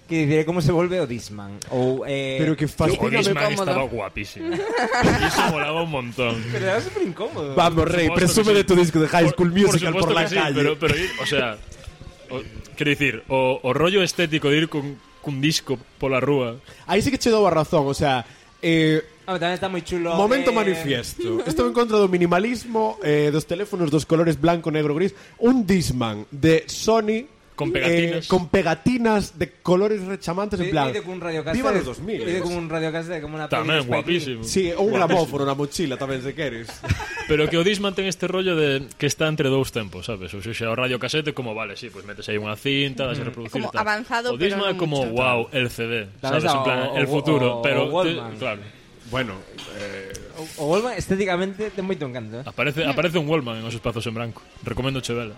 que diré como se volve o Discman. Ou, Pero que O fascina. Discman cómodo. estaba guapísimo. Iso molaba un montón. Pero era super incómodo. Vamos, Rey, Por presume supuesto que de sí. tu disco de High School Musical por supuesto la que sí, calle. pero ir, o sea, quero dicir, o rollo estético de ir cun disco pola rúa. Aí sí que che dou a razón, o sea, Tamén está moi chulo. momento manifiesto. Estou en contra do minimalismo, dos teléfonos dos colores blanco, negro, gris. Un Discman de Sony Con pegatinas. con pegatinas de colores rechamantes en plan. Pide con un radiocassette. Viva los 2000. Pide con un radiocassette, como una Tamén, peli de Spike Lee. guapísimo. Sí, ou un gramófono na mochila tamén se queres. Pero que o Discman ten este rollo de que está entre dous tempos, sabes? O sea, o radiocasete como, vale, sí, pues metes aí unha cinta, das a reproducir Como tal. avanzado, O Discman pero é non como, mucho. wow, el CD, Tamén sabes? está En plan, o- el futuro, o pero Wallman. claro. Bueno, O Volman estéticamente ten moito encanto. Aparece un Wallman en os espazos en branco. Recomendo che vela.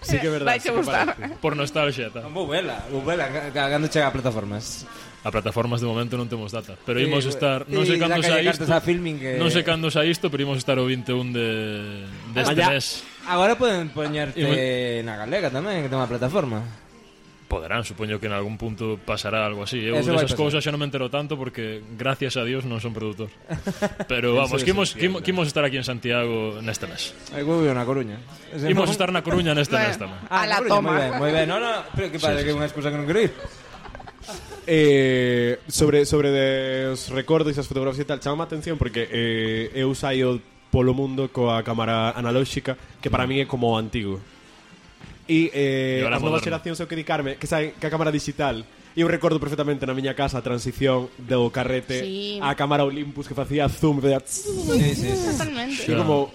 sí que é verdade. Vai che sí que gustar. parece. Por nostalgia, tal. Vou vela, cando chega a plataformas. A plataformas de momento non temos data, pero Sí, imos estar, non sí, sei cando sacalle sai cartas isto. a filming que- Non sei cando sai isto, pero imos estar o 21 deste Vaya. mes. Agora poden poñerte na galega tamén, que ten unha plataforma. Poderán, supoño que en algún punto pasará algo así. Eu Eso vai desas pasar. cousas xa non me entero tanto porque gracias a Dios non son produtor. Pero vamos, Eso que se entiende. imos estar aquí en Santiago neste mes. Aí vou na Coruña. Imos estar na Coruña neste mes Bueno, tamén. a la Coruña, toma. Moi ben, no, pero que parece que é unha excusa que non quero ir. Sobre os recordos e as fotografías e tal, chama a atención porque eu saio polo mundo coa cámara analóxica que para mí é como o antigo. E ahora as novas moderno. xeracións eu que dedicarme que saen que a cámara digital. E eu recordo perfectamente na miña casa a transición do carrete Sí. á cámara Olympus que facía zoom e Totalmente. Xa. como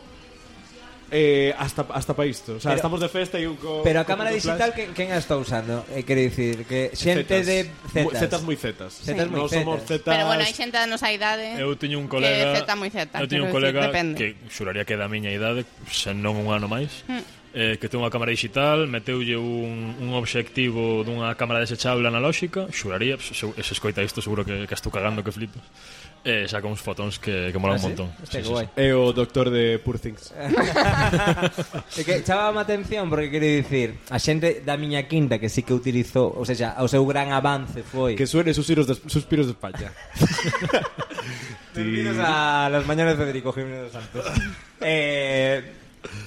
hasta para isto. O sea, Pero- estamos de festa e eu Pero a cámara digital quen a está usando? Quero dicir que xente de Zetas moi zetas. Zetas moi Non somos zetas. zetas. Pero bueno, hai xente da nosa idade Eu tiño un que colega, é zeta moi zeta. eu tiño un quero dicir, colega depende. que xuraría que é da miña idade, se non un ano máis. Que ten unha cámara digital, meteulle un obxectivo dunha cámara desechable analóxica, xuraría, se escoita isto seguro que estou cagando que flipas. Saca uns fotóns que molan un montón. Este Sí, que guai. É o doctor de Poor Things. É que chamaba a atención porque quero dicir, a xente da miña quinta que sí que utilizou, ou seja, o seu gran avance foi Que suene suspiros de España. Bienvenidos a las mañanas de Federico Jiménez dos Santos.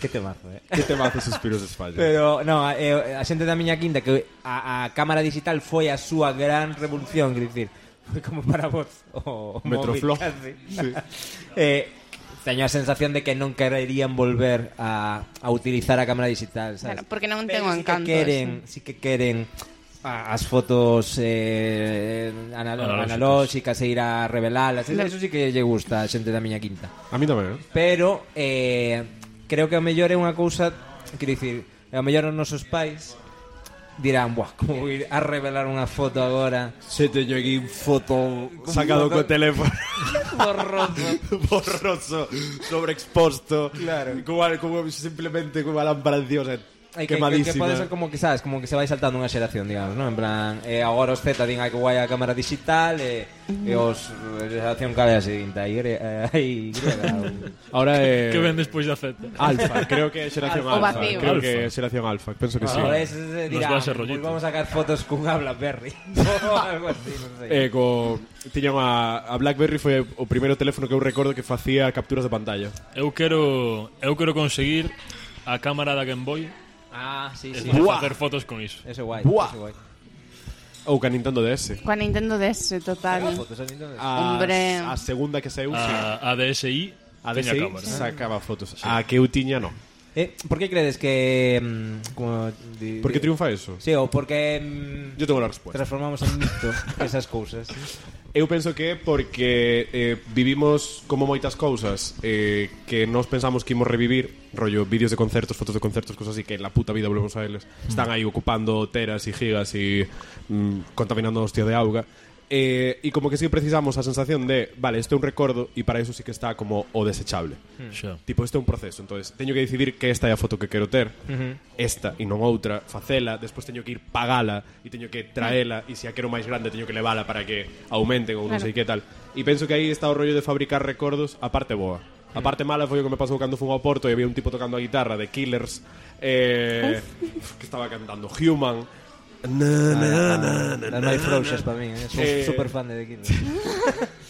Que temazo, Que temazo suspiros de España. Pero, no, a xente da miña quinta que a cámara digital foi a súa gran revolución, quero dicir, foi como para vos o Metroflop. móvil, casi. Sí. Teño a sensación de que non quererían volver a utilizar a cámara digital, sabes? Claro, porque non Pero ten o encanto. sí que queren as fotos analóxicas e ir a revelalas. Eso sí que lle gusta a xente da miña quinta. A mí tamén, Pero creo que o mellor é unha cousa, quero dicir, o mellor os nosos pais dirán, buah, como ir a revelar unha foto agora Se teño aquí un foto sacado co teléfono borroso. borroso, sobreexposto. Claro. Como simplemente como a lámpara de Dios Que quemadísima. pode ser como que, sabes, como que se vai saltando unha xeración, digamos, ¿no? En plan, agora os Z din hai que guai a cámara digital e os xeración cale a seguinte, aí Ahora é Que ven despois da feta. Alfa, creo que é xeración O Alfa. vacío. Creo Alfa. que é xeración Alfa, penso que sí. Ahora ese dirá, va a ser rollito. vamos a sacar fotos cun habla Berry ou algo así, non sei. Tiña a BlackBerry foi o primeiro teléfono que eu recordo que facía capturas de pantalla. Eu quero conseguir a cámara da Game Boy Sí, e sí. facer fotos con iso. Eso guai, Buah. eso guai. Ou ca Nintendo DS. Coa Nintendo DS, total. Fotos a Nintendo. Hombre. A segunda que saiu, sí. A DSi A tiña DSi cámara. sacaba fotos. A que eu tiña, no. Por que credes que como Por que triunfa eso? Sí, ou porque Yo tengo la respuesta. transformamos en mito esas cousas. Eu penso que é porque vivimos como moitas cousas que nos pensamos que imos revivir, rollo vídeos de concertos, fotos de concertos, cosas así que en la puta vida volvemos a eles. Están aí ocupando teras e gigas e contaminando a hostia de auga. E como que sí precisamos a sensación de, vale, este é un recordo e para eso sí que está como o desechable. Xa. Tipo, este é un proceso, entonces teño que decidir que esta é a foto que quero ter, esta e non outra, facela, despois teño que ir pagala e teño que traela e se a quero máis grande teño que levala para que aumenten ou non sei que tal. E penso que aí está o rollo de fabricar recordos, a parte boa. A parte mala foi o que me pasou cando fui ao Porto e había un tipo tocando a guitarra de Killers que estaba cantando Human. Non hai frouxas para min, sou super fan de The Killers.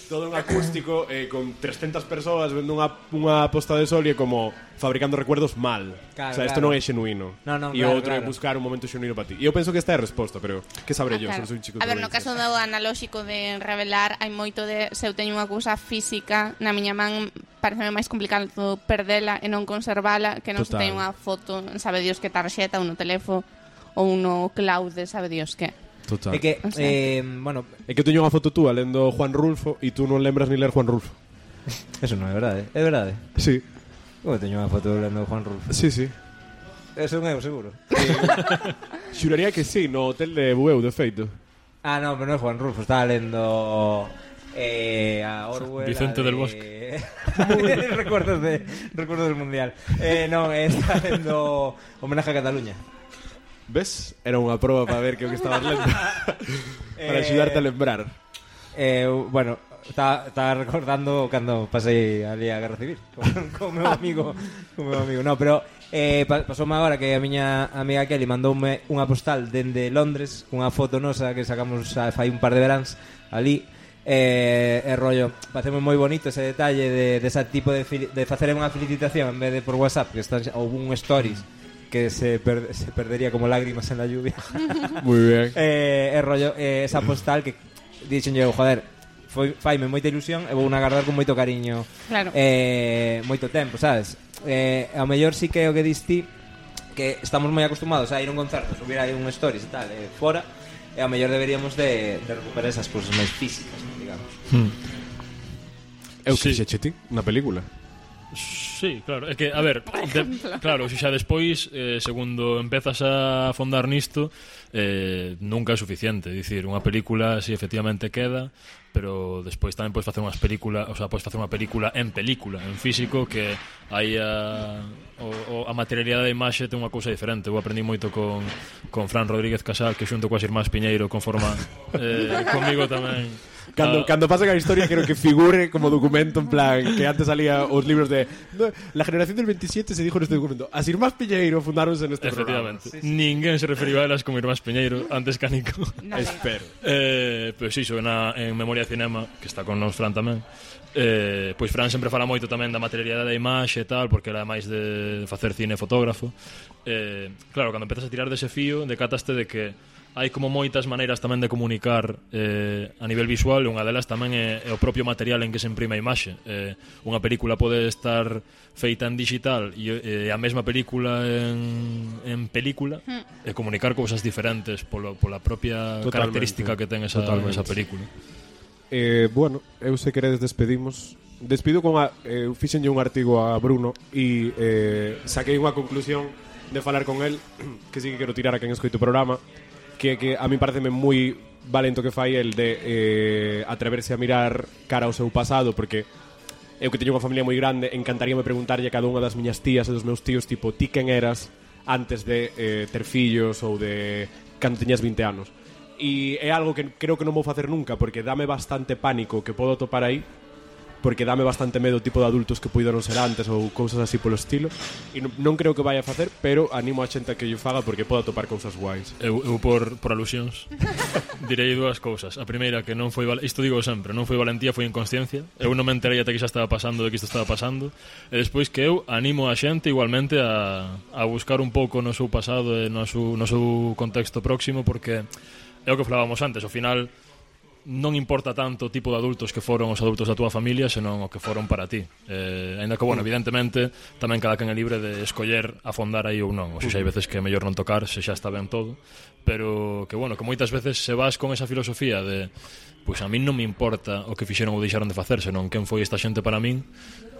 Todo un acústico con 300 persoas vendo unha posta de sol e como fabricando recuerdos mal. Claro, O sea, isto claro. non é xenuíno. E claro, outro é buscar un momento xenuíno para ti. E eu penso que esta é a resposta, pero que sabré yo, claro. se non soy un chico A ver, no provincia. caso do analóxico de revelar, hai moito de se eu teño unha cousa física na miña man, pareceme máis complicado perdela e non conservala que non se Total. teño unha foto, sabe Dios que tarxeta ou no teléfono ou no cloud, sabe Dios que. Total. É que, O sea. bueno, É que eu teño unha foto túa lendo Juan Rulfo e tú non lembras ni ler Juan Rulfo. eso non é verdade. É verdade. Sí, Eu teño unha foto lendo Juan Rulfo. sí, sí. Eso non é seguro. Xuraría que sí, no hotel de Bueu, de feito. Ah, no, pero non é Juan Rulfo. Estaba lendo a Orwell. Vicente del Bosque. recuerdos del Mundial. Non, estaba lendo Homenaje a Cataluña. Ves? Era unha proba para ver que o que estabas lendo. Para axudarte a lembrar. Bueno, estaba recordando cando pasei ali a Guerra Civil con meu amigo. No, pero pasoume agora que a miña amiga Kelly mandoume unha postal dende Londres cunha foto nosa que sacamos fai un par de veráns ali. Rollo, pareceme moi bonito ese detalle de ese tipo de facer unha felicitación en vez de por WhatsApp, que están ou un stories que se perdería como lágrimas en la lluvia. Muy bien. Rollo, esa postal que dixen eu, joder, faime moita ilusión e vou na guardar con moito cariño. Claro. Moito tempo, sabes? Ao mellor sí que é o que diste, que estamos moi acostumados a ir a un concerto, subir aí un stories e tal, fora, e ao mellor deberíamos de recuperar esas cousas máis físicas, digamos. Eu Sí. que fixeche ti na película. Sí, claro, é que, a ver, claro, se xa despois, segundo empezas a afondar nisto, nunca é suficiente. Dicir, unha película, si efectivamente queda, pero despois tamén podes facer unhas películas, o sea, podes facer unha película, en físico, que aí a materialidade da imaxe ten unha cousa diferente. Eu aprendí moito con Fran Rodríguez Casal, que xunto coas irmás Piñeiro conforma comigo tamén. Cando pasa a historia quero que figure como documento, en plan que antes salía os libros de la generación del 27 se dijo neste documento. As irmás Piñeiro fundáronse neste programa. Efectivamente. Ninguén se referiu a elas como irmás Piñeiro antes que a Nico. Nadie. Espero. Pois iso, en Memoria Cinema, que está con nos Fran tamén, pois Fran sempre fala moito tamén da materialidade da imaxe e tal, porque era máis de facer cine e fotógrafo. Claro, cando empezas a tirar dese fío, decataste de que hai como moitas maneiras tamén de comunicar a nivel visual, e unha delas tamén é o propio material en que se imprime a imaxe. Unha película pode estar feita en digital e a mesma película en película e comunicar cousas diferentes pola propia Totalmente. característica que ten esa película. Bueno, eu se queredes despedimos. Despido con eu fixenlle un artigo a Bruno e saquei unha conclusión de falar con el que sí que quero tirar a quen escoito o programa, que a mí pareceme moi valento que fai el de atreverse a mirar cara ao seu pasado, porque eu que teño unha familia moi grande, encantaríame preguntarlle a cada unha das miñas tías e dos meus tíos, tipo, ti quen eras antes de ter fillos ou de cando tiñas 20 anos. E é algo que creo que non vou facer nunca, porque dame bastante pánico que podo topar aí, porque dame bastante medo o tipo de adultos que puideron ser antes ou cousas así polo estilo, e non creo que vaya a facer, pero animo a xente a que yo faga porque podo topar cousas guais. Eu por alusións direi dúas cousas. A primeira, que non foi isto digo sempre, non foi valentía, foi inconsciencia. Eu non me enterei ata que xa estaba pasando de que isto estaba pasando. E despois que eu animo a xente igualmente a buscar un pouco no seu pasado e no seu contexto próximo, porque é o que falábamos antes, ao final non importa tanto o tipo de adultos que foron os adultos da túa familia, senón o que foron para ti. Ainda que, bueno, evidentemente tamén cada quen é libre de escoller afondar aí ou non. O sea, hai veces que é mellor non tocar se xa está ben todo, pero que, bueno, que moitas veces se vas con esa filosofía de pois a min non me importa o que fixeron ou deixaron de facer, senón quen foi esta xente para min,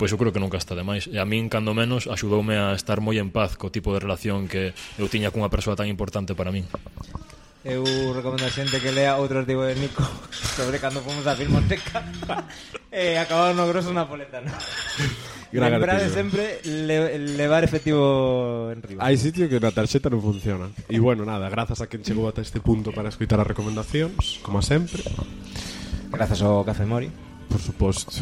pois eu creo que nunca está de máis. E a min, cando menos, axudoume a estar moi en paz co tipo de relación que eu tiña cunha persoa tan importante para min. Eu recomendo a xente que lea outro artigo de Nico sobre cando fomos á Filmoteca e acabamos no grosso napoletano. Gran Lembrade artigo. sempre levar efectivo en riba. Hai sitio que na tarxeta non funciona. E bueno, nada, grazas a quen chegou ata este punto para escoitar as recomendacións, como sempre. Grazas ao Café Mori. Por suposto,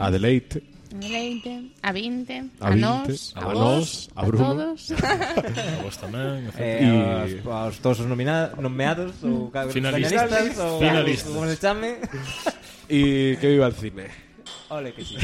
a Deleite, A Leite, a 20, A a 20, nós, a a nós, vos, a Bruno. todos. A vos tamén, Aos todos os nomeados ou Finalistas. ou Finalistas. como se chame. e que viva el cine. Ole que sí.